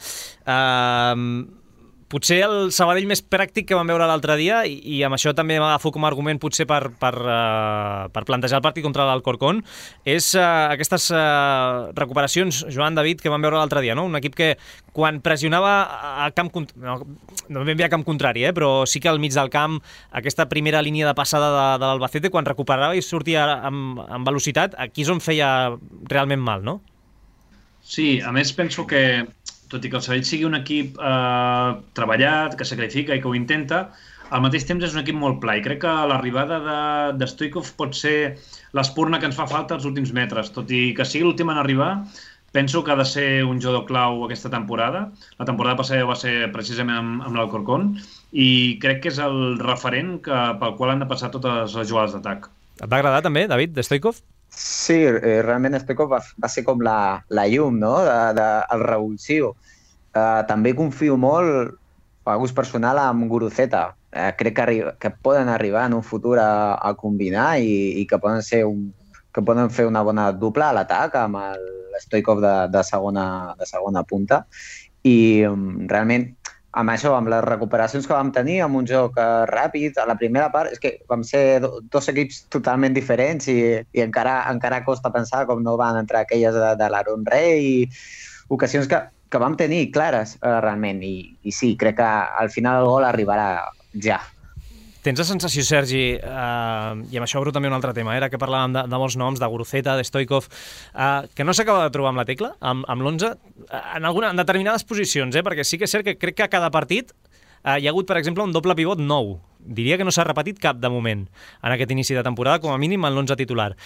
Potser el Sabadell més pràctic que vam veure l'altre dia, i amb això també m'agafo com a argument potser per plantejar el partit contra l'Alcorcón, és aquestes recuperacions, Joan, David, que vam veure l'altre dia, no? Un equip que quan pressionava a camp... No ben bé a camp contrari, però sí que al mig del camp, aquesta primera línia de passada de l'Albacete, quan recuperava i sortia amb velocitat, aquí és on feia realment mal, no? Sí, a més penso que tot i que el Sabadell sigui un equip treballat, que sacrifica i que ho intenta, al mateix temps és un equip molt pla, i crec que l'arribada de Stoichkov pot ser l'espurna que ens fa falta als últims metres. Tot i que sigui l'últim en arribar, penso que ha de ser un jugador clau aquesta temporada. La temporada passada va ser precisament amb l'Alcorcón, i crec que és el referent pel qual han de passar totes les jugades d'atac. Et va agradar també, David, de Stoichkov? Sí, realment Stoichkov va ser com la llum, no?, el revulsiu. També confio molt, a gust personal, amb Guruceta. Crec que poden arribar en un futur a combinar i que poden fer una bona dupla a l'atac amb el Stoichkov de segona punta. I realment, amb això, amb les recuperacions que vam tenir, amb un joc ràpid, a la primera part, és que vam ser dos equips totalment diferents i encara costa pensar com no van entrar aquelles de l'Aaron Rey i ocasions que vam tenir clares, realment. I sí, crec que al final el gol arribarà ja. Tens la sensació, Sergi, i amb això obro també un altre tema, era que parlàvem de molts noms, de Guruceta, de Stoichkov, que no s'acaba de trobar amb la tecla, amb l'11, en determinades posicions, perquè sí que és cert que crec que a cada partit hi ha hagut, per exemple, un doble pivot nou. Diria que no s'ha repetit cap de moment en aquest inici de temporada, com a mínim en l'11 titular.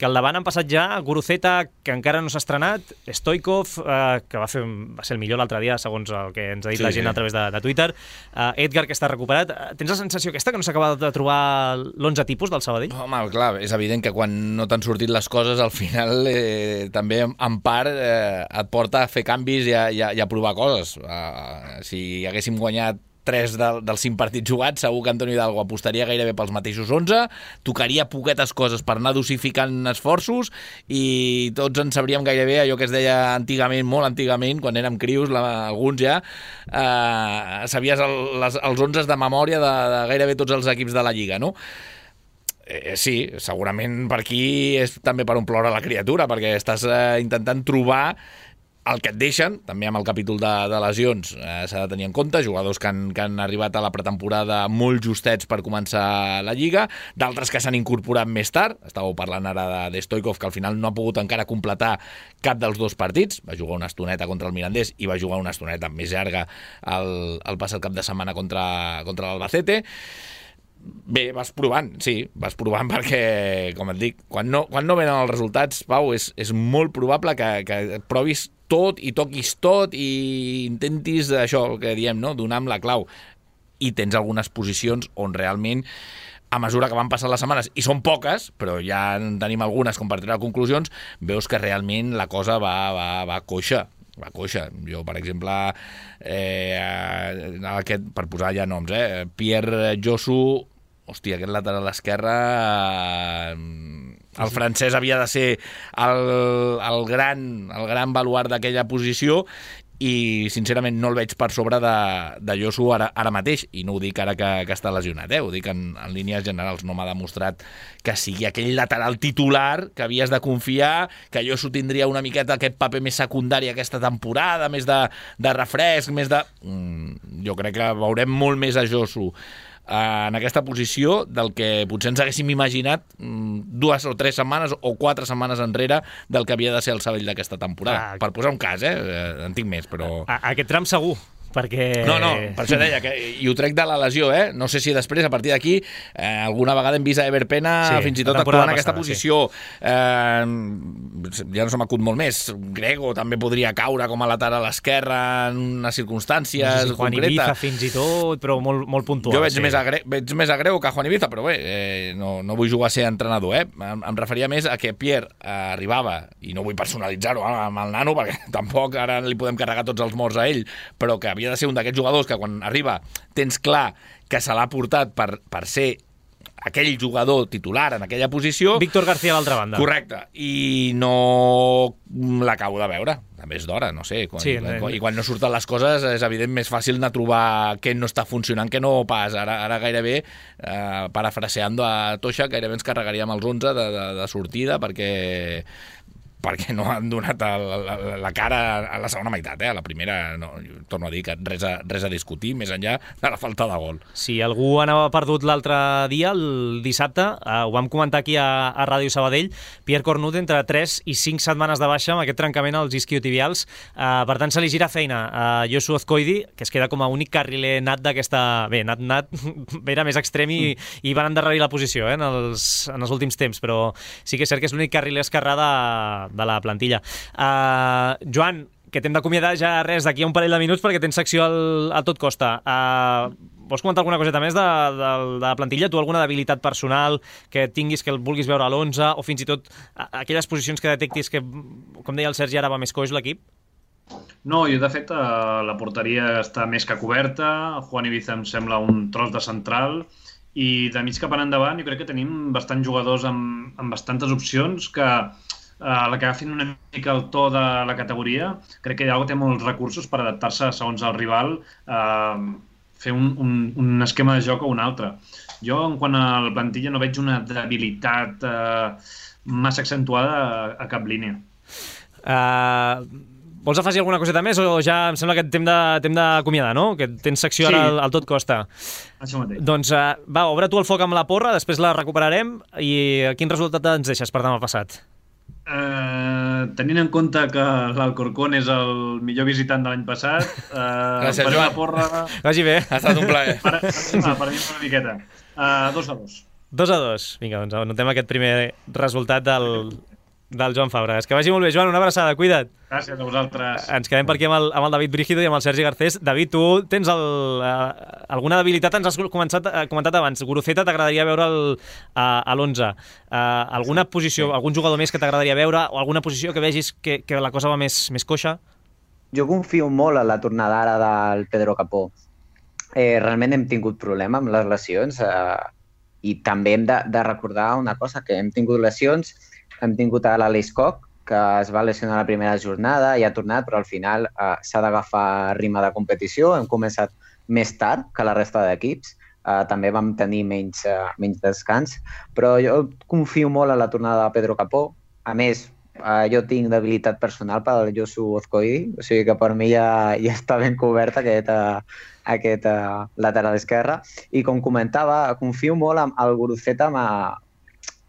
Que al davant han passat ja Guruceta, que encara no s'ha estrenat, Stoichkov, que va ser el millor l'altre dia, segons el que ens ha dit la gent a través de Twitter, Edgar, que està recuperat. Tens la sensació aquesta, que no s'acaba de trobar l'11 tipus del Sabadell? Home, clar, és evident que quan no t'han sortit les coses, al final també, en part, et porta a fer canvis i a provar coses. Si haguéssim guanyat 3 dels 5 partits jugats, segur que Antonio Hidalgo apostaria gairebé pels mateixos 11, tocaria poquetes coses per anar dosificant esforços i tots en sabríem gairebé allò que es deia antigament, molt antigament, quan érem crios, alguns ja, sabies els 11 de memòria de gairebé tots els equips de la Lliga, no? Sí, segurament per aquí és també per omplir la criatura, perquè estàs intentant trobar el que et deixen, també amb el capítol de lesions, s'ha de tenir en compte, jugadors que han arribat a la pretemporada molt justets per començar la Lliga, d'altres que s'han incorporat més tard. Estàveu parlant ara de Stoichkov, que al final no ha pogut encara completar cap dels 2 partits, va jugar una estoneta contra el Mirandés i va jugar una estoneta més llarga el passat cap de setmana contra l'Albacete. Bé, vas provant perquè, com et dic, quan no venen els resultats, Pau, és molt probable que provis tot i toquis tot i intentis això, el que diem, no? Donar amb la clau. I tens algunes posicions on realment, a mesura que van passant les setmanes, i són poques, però ja en tenim algunes com per treure conclusions, veus que realment la cosa va coixa. Va coixa. Jo, per exemple, per posar ja noms, Pierre Josu, hòstia, aquest lateral esquerre, el francès havia de ser el gran baluart d'aquella posició, i sincerament no el veig per sobre de Josu ara mateix, i no ho dic ara que està lesionat, ho dic en línies generals. No m'ha demostrat que sigui aquell lateral titular que havies de confiar, que Josu tindria una miqueta aquest paper més secundari aquesta temporada, més de refresc, més de... Jo crec que veurem molt més a Josu en aquesta posició del que potser ens haguéssim imaginat 2 o 3 setmanes o 4 setmanes enrere del que havia de ser el Sabadell d'aquesta temporada. Per posar un cas, en tinc més, però... Aquest tram segur, perquè... No, per això deia, i ho trec de la lesió, no sé si després, a partir d'aquí, alguna vegada hem vist a Ever Pena fins i tot actuant en aquesta posició. Ja no se m'acut molt més. Grego també podria caure com a lateral esquerre en unes circumstàncies concretes. Juan Ibiza fins i tot, però molt puntual. Jo veig més a Grego que a Juan Ibiza, però bé, no vull jugar a ser entrenador. Em referia més a que Pierre arribava, i no vull personalitzar-ho amb el nano, perquè tampoc ara li podem carregar tots els morts a ell, però que havia de ser un d'aquests jugadors que quan arriba tens clar que se l'ha portat per ser aquell jugador titular en aquella posició. Víctor García a l'altra banda. Correcte. I no l'acabo de veure. També és d'hora, no sé. I quan no surten les coses és evident més fàcil de trobar què no està funcionant que no pas. Ara gairebé, parafraseando a Toixa, gairebé ens carregaríem els 11 de sortida perquè no han donat la cara a la segona meitat. A la primera, no, torno a dir que res a discutir, més enllà de la falta de gol. Si algú anava perdut l'altre dia, el dissabte, ho vam comentar aquí a Ràdio Sabadell, Pierre Cornut entre 3 i 5 setmanes de baixa amb aquest trencament als isquiotibials. Per tant, se li gira feina a Josu Azcoidi, que es queda com a únic carriler nat d'aquesta... Bé, nat era més extrem i van endarrerir la posició en els últims temps, però sí que és cert que és l'únic carriler esquerrà de la plantilla. Joan, que t'hem d'acomiadar ja res d'aquí a un parell de minuts perquè tens secció a tot costa. Vols comentar alguna coseta més de la plantilla? Tu alguna debilitat personal que tinguis, que el vulguis veure a l'11, o fins i tot aquelles posicions que detectis que, com deia el Sergi, ara va més coix l'equip? No, jo de fet la porteria està més que coberta. Juan Ibiza em sembla un tros de central, i de mig cap endavant jo crec que tenim bastants jugadors amb bastantes opcions que la que agafin una mica el to de la categoria. Crec que Iago té molts recursos per adaptar-se segons el rival, fer un esquema de joc o un altre. Jo, en quant a la plantilla, no veig una debilitat massa accentuada a cap línia. Vols afegir alguna coseta més o ja em sembla que t'hem d'acomiadar, no? Que tens secció ara al tot costa. Això mateix. Doncs va, obre tu el foc amb la porra, després la recuperarem, i quin resultat ens deixes per demà passat? Tenint en compte que l'Alcorcón és el millor visitant de l'any passat, gràcies, Joan. La porra... Vagi bé. Ha estat un plaer. Per mi una miqueta. 2-2. 2-2. Vinga, doncs anotem aquest primer resultat del Joan Fabregas. Que vagi molt bé, Joan, una abraçada, cuida't. Gràcies a vosaltres. Ens quedem per aquí amb el David Brígido i amb el Sergi Garcés. David, tu tens alguna debilitat? Ens has comentat abans. Guruceta t'agradaria veure a l'11. Alguna posició, algun jugador més que t'agradaria veure, o alguna posició que vegis que la cosa va més coixa? Jo confio molt en la tornada ara del Pedro Capó. Realment hem tingut problema amb les lesions, i també hem de recordar una cosa, que hem tingut lesions. Hem tingut a l'Aleix Koch, que es va lesionar la primera jornada i ha tornat, però al final s'ha d'agafar ritme de competició. Hem començat més tard que la resta d'equips. També vam tenir menys descans, però jo confio molt en la tornada de Pedro Capó. A més, jo tinc debilitat personal per al Josu Azcoidi, o sigui que per mi ja està ben cobert aquest lateral esquerre. I com comentava, confio molt en el Guruceta,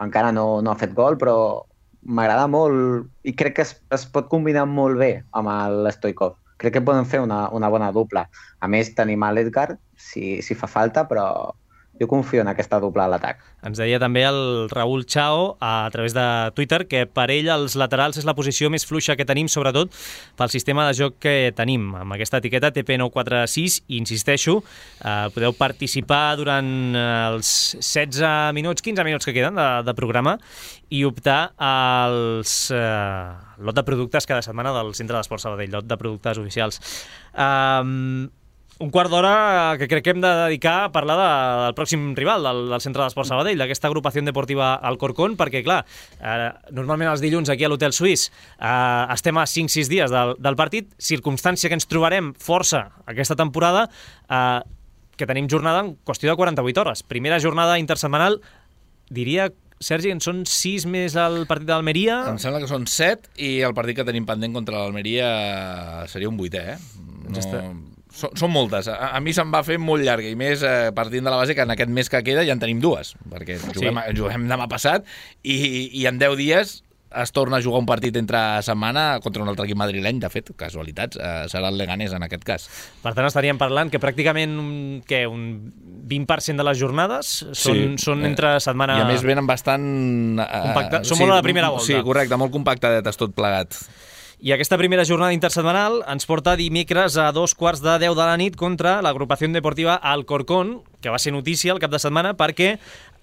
encara no ha fet gol, però m'agrada molt i crec que es pot combinar molt bé amb l'Stoikov. Crec que poden fer una bona dupla. A més, tenim l'Edgar, si fa falta, però jo confio en aquesta doble a l'atac. Ens deia també el Raül Chao a través de Twitter que per ell els laterals és la posició més fluixa que tenim, sobretot pel sistema de joc que tenim. Amb aquesta etiqueta TP946, i insisteixo, podeu participar durant els 16 minuts, 15 minuts que queden de programa i optar als lot de productes cada setmana del Centre d'Esports Sabadell, lot de productes oficials. Un quart d'hora que crec que hem de dedicar a parlar del pròxim rival del Centre d'Esports Sabadell, d'aquesta agrupació deportiva Alcorcón, perquè, clar, normalment els dilluns aquí a l'Hotel Suís estem a 5-6 dies del partit, circumstància que ens trobarem força aquesta temporada, que tenim jornada en qüestió de 48 hores. Primera jornada intersetmanal, diria, Sergi, en són 6 més el partit d'Almeria? Em sembla que són 7 i el partit que tenim pendent contra l'Almeria seria un 8è, Són moltes. A mi se'm va fer molt llarga, i més partint de la base que en aquest mes que queda ja en tenim 2, perquè juguem demà passat i en 10 dies es torna a jugar un partit entre setmana contra un altre equip madrileny, de fet, casualitats, serà el Leganés en aquest cas. Per tant, estaríem parlant que pràcticament un 20% de les jornades són entre setmana... I a més venen bastant... Són molt a la primera volta. Sí, correcte, molt compactadetes tot plegat. I aquesta primera jornada intersetmanal ens porta dimecres a 2:10 de la nit contra l'agrupació deportiva Alcorcón, que va ser notícia el cap de setmana perquè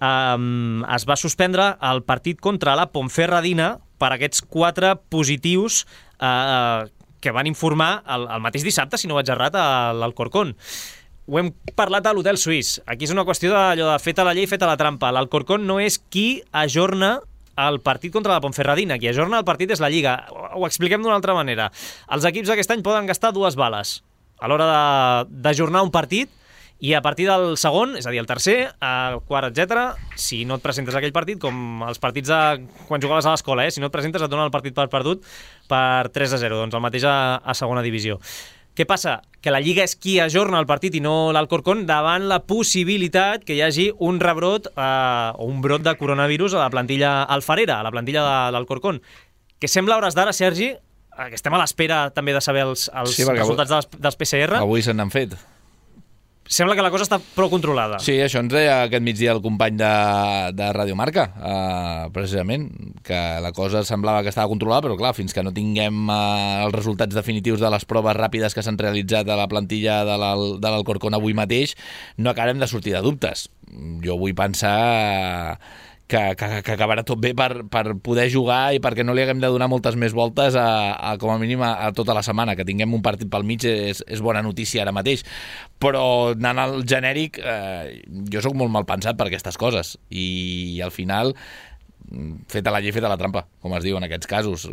es va suspendre el partit contra la Ponferradina per aquests 4 positius que van informar el mateix dissabte, si no vaig errat, a l'Alcorcón. Ho hem parlat a l'Hotel Suís. Aquí és una qüestió d'allò de feta la llei, feta la trampa. L'Alcorcón no és qui ajorna el partit contra la Ponferradina. Qui ajorna el partit és la Lliga. Ho expliquem d'una altra manera. Els equips aquest any poden gastar 2 bales a l'hora d'ajornar un partit, i a partir del segon, és a dir, el tercer, el quart, etc., si no et presentes a aquell partit, com els partits de quan jugaves a l'escola, si no et presentes et donen el partit per perdut per 3-0, doncs el mateix a segona divisió. Què passa? Que la Lliga és qui ajorna el partit i no l'Alcorcón, davant la possibilitat que hi hagi un rebrot o un brot de coronavirus a la plantilla alfarera, a la plantilla de l'Alcorcón, que sembla a hores d'ara, Sergi, que estem a l'espera també de saber els resultats dels PCR. Avui se n'han fet. Sembla que la cosa està prou controlada. Sí, això ens deia aquest migdia el company de Radio Marca, precisament, que la cosa semblava que estava controlada, però clar, fins que no tinguem els resultats definitius de les proves ràpides que s'han realitzat a la plantilla de l'Alcorcón avui mateix, no acabarem de sortir de dubtes. Jo vull pensar que acabarà tot bé per poder jugar i perquè no li haguem de donar moltes més voltes com a mínim a tota la setmana. Que tinguem un partit pel mig és bona notícia ara mateix, però anant al genèric, jo sóc molt mal pensat per aquestes coses i al final feta la llei, feta la trampa, com es diu en aquests casos.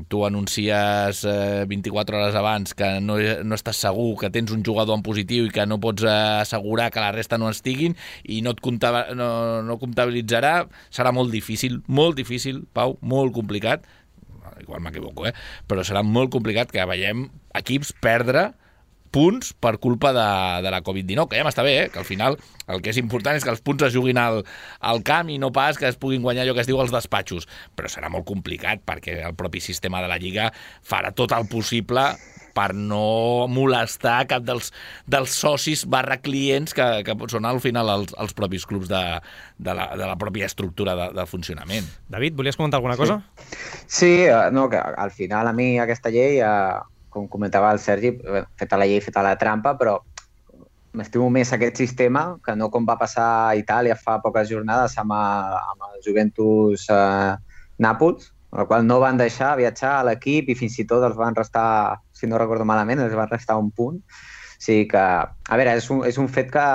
Tu anuncies 24 hores abans que no estàs segur, que tens un jugador en positiu i que no pots assegurar que la resta no estiguin i no comptabilitzarà. Serà molt difícil, Pau, molt complicat, igual m'equivoco, però serà molt complicat que veiem equips perdre punts per culpa de la Covid-19, que ja m'està bé, que al final el que és important és que els punts es juguin al camp i no pas que es puguin guanyar allò que es diu als despatxos, però serà molt complicat perquè el propi sistema de la Lliga farà tot el possible per no molestar cap dels socis / clients que són al final els propis clubs de la pròpia estructura de funcionament. David, volies comentar alguna cosa? Sí, no, que al final a mi aquesta llei, com comentava el Sergi, feta la llei, feta la trampa, però m'estimo més aquest sistema que no com va passar a Itàlia fa poques jornades amb el Juventus Nàpols, el qual no van deixar viatjar a l'equip i fins i tot els van restar, si no recordo malament, els van restar un punt. O sigui que, a veure, és un fet que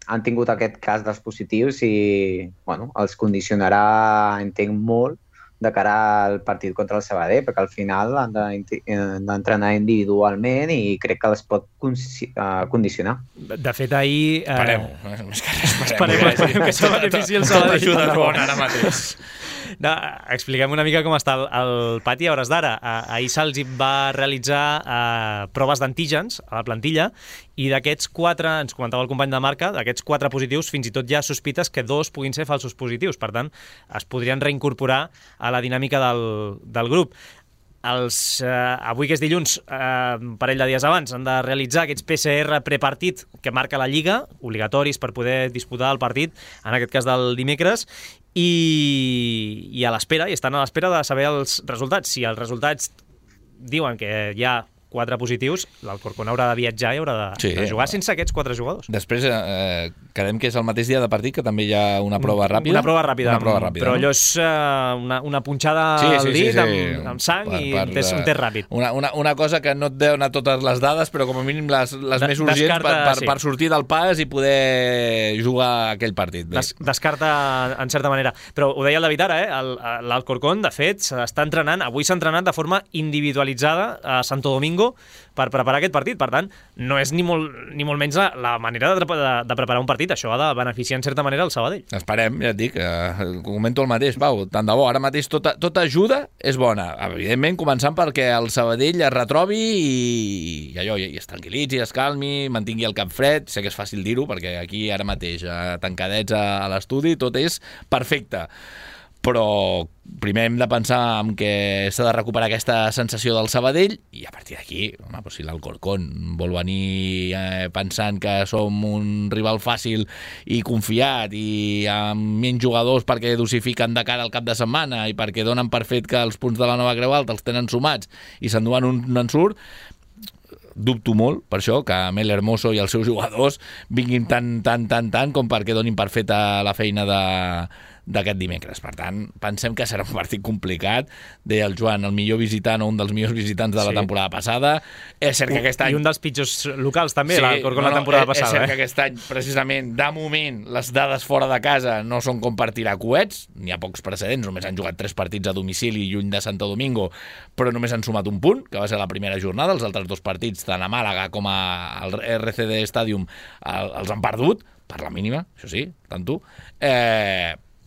han tingut aquest cas dels positius i els condicionarà, entenc, molt de cara al partit contra el Sabadell, perquè al final han d'entrenar individualment i crec que els pot condicionar. De fet, ahir... Esperem que se benefici el Sabadell. Tot ajuda bona ara mateix. No, expliquem una mica com està el pati a hores d'ara. Ahir se'ls va realitzar proves d'antígens a la plantilla i d'aquests 4, ens comentava el company de Marca, d'aquests 4 positius fins i tot hi ha sospites que 2 puguin ser falsos positius. Per tant, es podrien reincorporar a la dinàmica del grup. avui que és dilluns, un parell de dies abans, han de realitzar aquests PCR prepartit que marca la Lliga, obligatoris per poder disputar el partit, en aquest cas del dimecres, i a l'espera, i estan a l'espera de saber els resultats. Si els resultats diuen que hi ha 4 positius, l'Alcorcón haurà de viatjar i haurà de jugar sense aquests 4 jugadors. Després quedem que és el mateix dia de partit, que també hi ha una prova ràpida. Una prova ràpida, però no? allò és una punxada al dit amb sang i un test ràpid. Una cosa que no et dona totes les dades, però com a mínim les més urgents per sortir del pas i poder jugar aquell partit. Descarta en certa manera. Però ho deia el David ara, l'Alcorcón, de fet, s'està entrenant, avui s'ha entrenat de forma individualitzada a Santo Domingo per preparar aquest partit. Per tant, no és ni molt menys la manera de preparar un partit. Això ha de beneficiar en certa manera el Sabadell. Esperem, ja et dic, comento el mateix, Pau, tant de bo. Ara mateix tota ajuda és bona. Evidentment, començant perquè el Sabadell es retrobi i es tranquil·litzi, es calmi, mantingui el cap fred. Sé que és fàcil dir-ho, perquè aquí ara mateix, tancadets a l'estudi, tot és perfecte. Però primer hem de pensar en que s'ha de recuperar aquesta sensació del Sabadell i a partir d'aquí, si l'Alcorcón vol venir pensant que som un rival fàcil i confiat i amb menys jugadors perquè dosifiquen de cara al cap de setmana i perquè donen per fet que els punts de la Nova Creu Alta els tenen sumats i s'enduen un ensurt, dubto molt, per això, que Mel Hermoso i els seus jugadors vinguin tant com perquè donin per feta la feina d'aquest dimecres. Per tant, pensem que serà un partit complicat. Deia el Joan, el millor visitant o un dels millors visitants de la temporada passada. És cert que aquest any... I un dels pitjors locals, també, l'Alcorcón la temporada passada. És cert que aquest any, precisament, de moment, les dades fora de casa no són com per tirar coets. N'hi ha pocs precedents, només han jugat 3 partits a domicili lluny de Santo Domingo, però només han sumat un punt, que va ser la primera jornada. Els altres 2 partits, tant a Màlaga com al RCD Stadium, els han perdut, per la mínima, això sí, tant tu.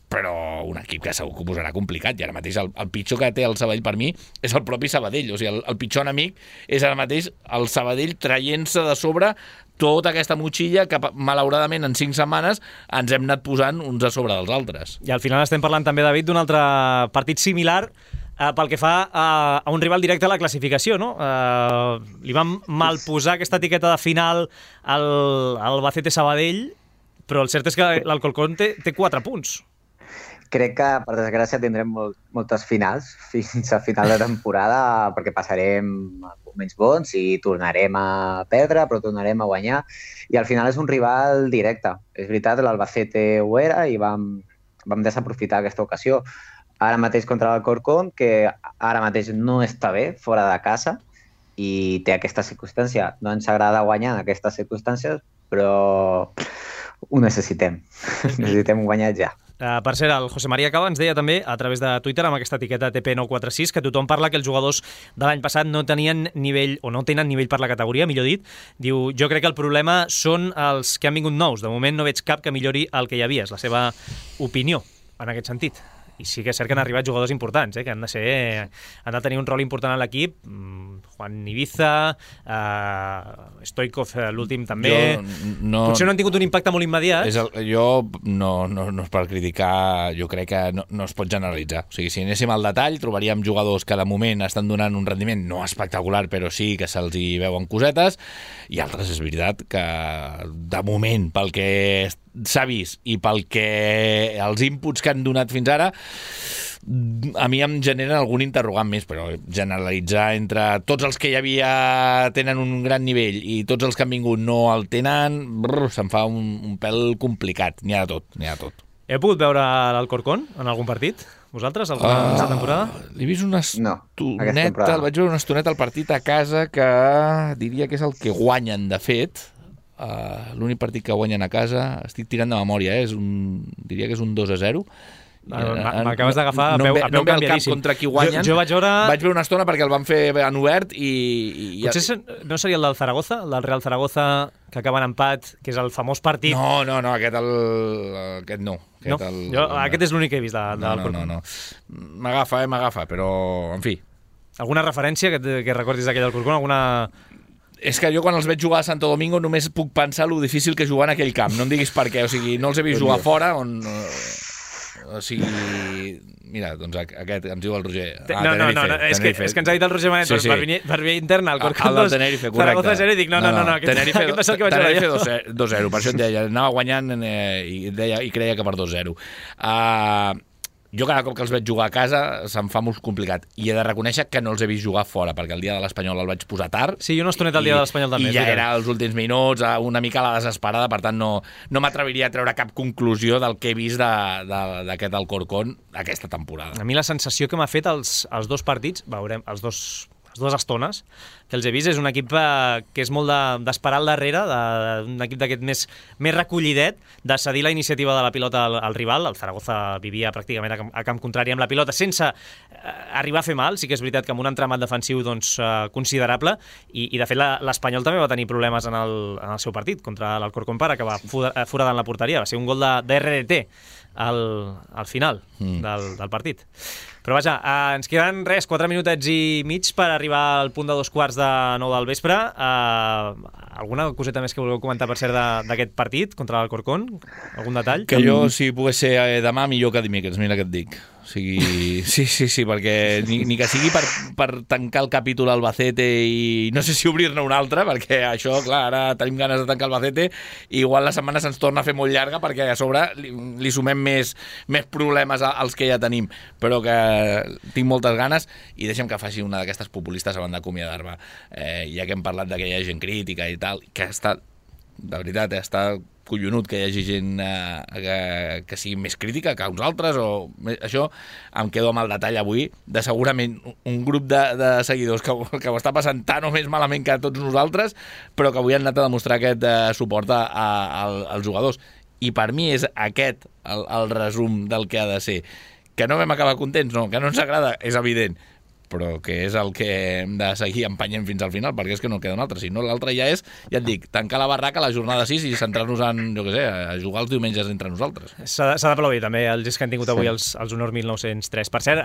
Però un equip que segur que ho posarà complicat, i ara mateix el pitjor que té el Sabadell per mi és el propi Sabadell. O sigui, el pitjor enemic és ara mateix el Sabadell traient-se de sobre tota aquesta motxilla que malauradament en 5 setmanes ens hem anat posant uns a sobre dels altres. I al final estem parlant també, David, d'un altre partit similar pel que fa a un rival directe a la classificació, no? Li vam malposar aquesta etiqueta de final al Albacete Sabadell, però el cert és que l'Alcorcón té 4 punts. Crec que, per desgràcia, tindrem moltes finals fins a final de temporada perquè passarem moments bons i tornarem a perdre, però tornarem a guanyar. I al final és un rival directe. És veritat, l'Albacete ho era i vam desaprofitar aquesta ocasió. Ara mateix contra l'Alcorcón, que ara mateix no està bé, fora de casa, i té aquesta circumstància. No ens agrada guanyar en aquestes circumstàncies, però ho necessitem. Necessitem guanyar ja. Per cert, el José María Cava ens deia també a través de Twitter amb aquesta etiqueta TP946 que tothom parla que els jugadors de l'any passat no tenien nivell, o no tenen nivell per la categoria, millor dit. Diu, jo crec que el problema són els que han vingut nous. De moment no veig cap que millori el que hi havia. És la seva opinió en aquest sentit. I sí que és cert que han arribat jugadors importants, que han de tenir un rol important a l'equip. Juan Ibiza, Stoikov, l'últim també. Potser no han tingut un impacte molt immediat. Jo no és per criticar, jo crec que no es pot generalitzar. O sigui, si anéssim al detall, trobaríem jugadors que de moment estan donant un rendiment no espectacular, però sí que se'ls hi veuen cosetes, i altres és veritat que de moment, pel que s'ha vist i pel que els inputs que han donat fins ara, a mi em generen algun interrogant més, però generalitzar entre tots els que hi havia tenen un gran nivell i tots els que han vingut no el tenen, se'm fa un pèl complicat. N'hi ha de tot. Heu pogut veure l'Alcorcón en algun partit? Vosaltres, aquesta temporada? L'he vist una estoneta, el vaig veure una estoneta al partit a casa, que diria que és el que guanyen, de fet. L'únic partit que guanyen a casa, estic tirant de memòria, diria que és un 2-0. M'acabes d'agafar a peu canviadíssim. Contra qui guanyen. Jo vaig veure una estona perquè el van fer en obert i... Potser no seria el del Zaragoza, el del Real Zaragoza, que acaba en empat, que és el famós partit... No, aquest no. Aquest és l'únic que he vist de l'Alcorcón. No. M'agafa, però, en fi. Alguna referència que recordis d'aquell Alcorcón? És que jo quan els veig jugar a Santo Domingo només puc pensar lo difícil que és jugar en aquell camp. No em diguis per què. O sigui, no els he vist jugar fora, o sigui, Mira, doncs aquest ens diu el Roger. No, és que ens ha dit el Roger Manet per via interna, el Corcón 2, Zaragoza 0, i dic, no, aquest va ser el que vaig veure jo. Tenerife 2-0, per això et deia, anava guanyant i creia que per 2-0. Jo cada cop que els veig jugar a casa se'm fa molt complicat i he de reconèixer que no els he vist jugar fora perquè el dia de l'Espanyol el vaig posar tard. Sí, jo no estoneta el dia de l'Espanyol també. I ja era els últims minuts, una mica a la desesperada, per tant no m'atreviria a treure cap conclusió del que he vist d'aquest Alcorcón aquesta temporada. A mi la sensació que m'ha fet els dos partits, veurem, les dues estones que els he vist, és un equip que és molt d'esperar al darrere, un equip d'aquest més recollidet, de cedir la iniciativa de la pilota al rival. El Zaragoza vivia pràcticament a camp contrari amb la pilota, sense arribar a fer mal. Sí que és veritat que amb un entramat defensiu considerable, i de fet l'Espanyol també va tenir problemes en el seu partit contra l'Alcorcón per acabar foradant la porteria. Va ser un gol de RDT al final del partit. Però vaja, ens queden 4 minutets i mig per arribar al punt de 2:15 del vespre. Alguna coseta més que vulgueu comentar, per cert, d'aquest partit contra l'Alcorcón? Algun detall? Que jo, si pogués ser demà, millor que dimecres, mira què et dic. O sigui, sí, perquè ni que sigui per tancar el capítol Albacete i no sé si obrir-ne un altre, perquè això, clar, ara tenim ganes de tancar Albacete i igual la setmana se'ns torna a fer molt llarga perquè a sobre li sumem més problemes als que ja tenim, però que tinc moltes ganes i deixem que faci una d'aquestes populistes abans d'acomiadar-me. Ja que hem parlat que hi ha gent crítica i tal, que està, de veritat, està collonut que hi hagi gent que sigui més crítica que uns altres, o això em quedo amb el detall avui de segurament un grup de seguidors que ho està passant tan o més malament que tots nosaltres, però que avui han anat a demostrar aquest suport als jugadors. I per mi és aquest el resum del que ha de ser. Que no vam acabar contents, no, que no ens agrada, és evident, però que és el que hem de seguir empenyent fins al final, perquè és que no queda un altre. Si no, l'altre ja és, ja et dic, tancar la barraca a la jornada 6 i centrar-nos en, jo què sé, a jugar els diumenges entre nosaltres. S'ha d'aplaudir també els que han tingut avui els Honor 1903. Per cert,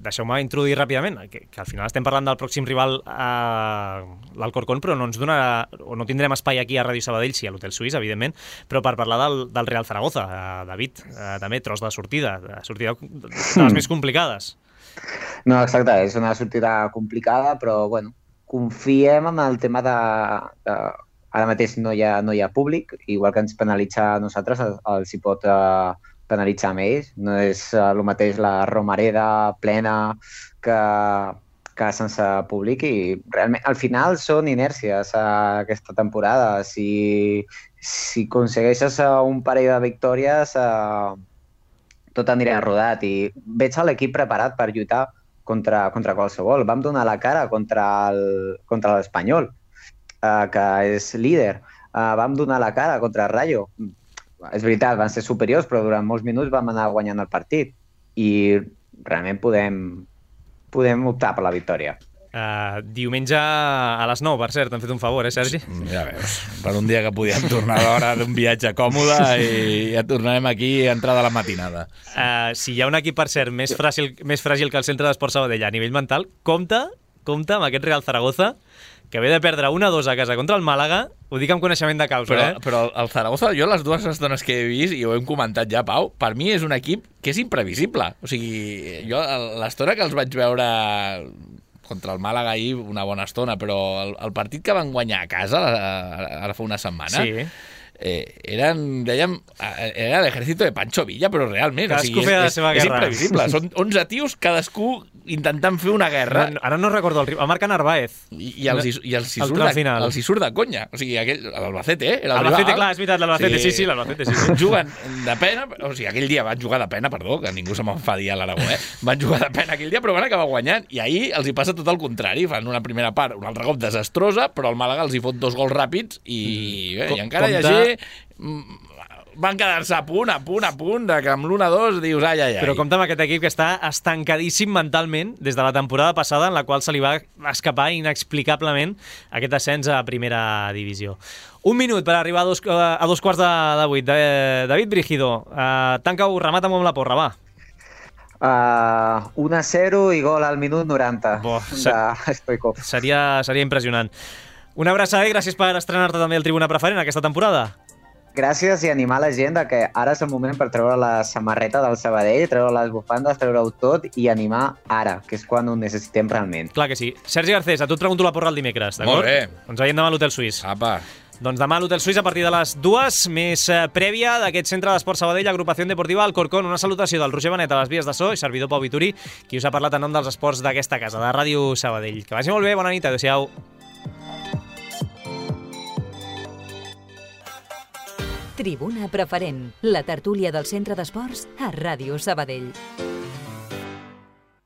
deixeu-me introduir ràpidament, que al final estem parlant del pròxim rival, l'Alcorcón, però no ens donarà, o no tindrem espai aquí a Ràdio Sabadell, sí, a l'Hotel Suís, evidentment, però per parlar del Real Zaragoza. David, també tros de sortida de les més complicades. No, exacte, és una sortida complicada, però bueno, confiem en el tema de ara mateix no hi ha públic, igual que ens penalitza a nosaltres, els hi pot penalitzar amb ells. No és el mateix la Romareda plena que sense públic, i realment al final són inèrcies aquesta temporada. Si aconsegueixes un parell de victòries, tot anirà rodat, i veig l'equip preparat per lluitar contra qualsevol. Vam donar la cara contra l'Espanyol, que és líder. Vam donar la cara contra el Rayo. És veritat, van ser superiors, però durant molts minuts vam anar guanyant el partit i realment podem optar per la victòria. Diumenge a les 9, per cert, t'han fet un favor, Sergi? Ja veus, per un dia que podíem tornar a l'hora d'un viatge còmode i ja tornarem aquí a entrada a la matinada. Si hi ha un equip, per cert, més fràgil que el Centre d'Esport Sabadell a nivell mental, compte amb aquest Real Zaragoza, que ve de perdre 1-2 a casa contra el Màlaga. Ho dic amb coneixement de causa, Però el Zaragoza, jo les dues estones que he vist, i ho hem comentat ja, Pau, per mi és un equip que és imprevisible. O sigui, jo l'estona que els vaig veure contra el Màlaga ahir, una bona estona, però el partit que van guanyar a casa ara fa una setmana, sí. Era l'ejército de Pancho Villa, però realment, cadascú feia la seva guerra. És imprevisible. Són 11 tios, cadascú intentant fer una guerra. Ara no recordo el rival. Va marcar Narváez. I els hi surt de conya. O sigui, l'Albacete, era el Albacete, rival. Clar, és veritat, l'Albacete, sí, l'Albacete, sí. Juguen de pena, o sigui, aquell dia van jugar de pena, perdó, que ningú se m'enfadi a l'Aragó, Van jugar de pena aquell dia, però van acabar guanyant. I ahir els hi passa tot el contrari. Fan una primera part, un altre cop desastrosa, però el Màlaga els hi fot 2 gols ràpids i encara hi ha van quedar-se a punt, de que amb l'1-2 dius ai. Però compta amb aquest equip que està estancadíssim mentalment des de la temporada passada, en la qual se li va escapar inexplicablement aquest ascens a primera divisió. Un minut per arribar a 7:15. David Brígido, tanca-ho, remata-m'ho amb la porra, va. 1-0 i gol al minut 90 de Stoikov. Seria impressionant. Una abraçada i gràcies per estrenar-te també el Tribuna Preferent aquesta temporada. gràcies i animar la gent que ara és el moment per treure la samarreta del Sabadell, treure les bufandes, treure-ho tot i animar ara, que és quan ho necessitem realment. Clar que sí. Sergi Garcés, a tu et pregunto la porra el dimecres, d'acord? Molt bé. Ens veiem demà a l'Hotel Suís. Apa. Doncs demà a l'Hotel Suís a partir de les 2, més prèvia d'aquest centre d'esport Sabadell, Agrupació Deportiva Alcorcón. Una salutació del Roger Benet a les vies de so i servidor Pau Vituri, qui us ha parlat en nom dels esports d'aquesta casa, de Ràdio Sabadell. Que vagi molt bé, bona nit, adéu-siau. Tribuna Preferent, la tertúlia del Centre d'Esports a Ràdio Sabadell.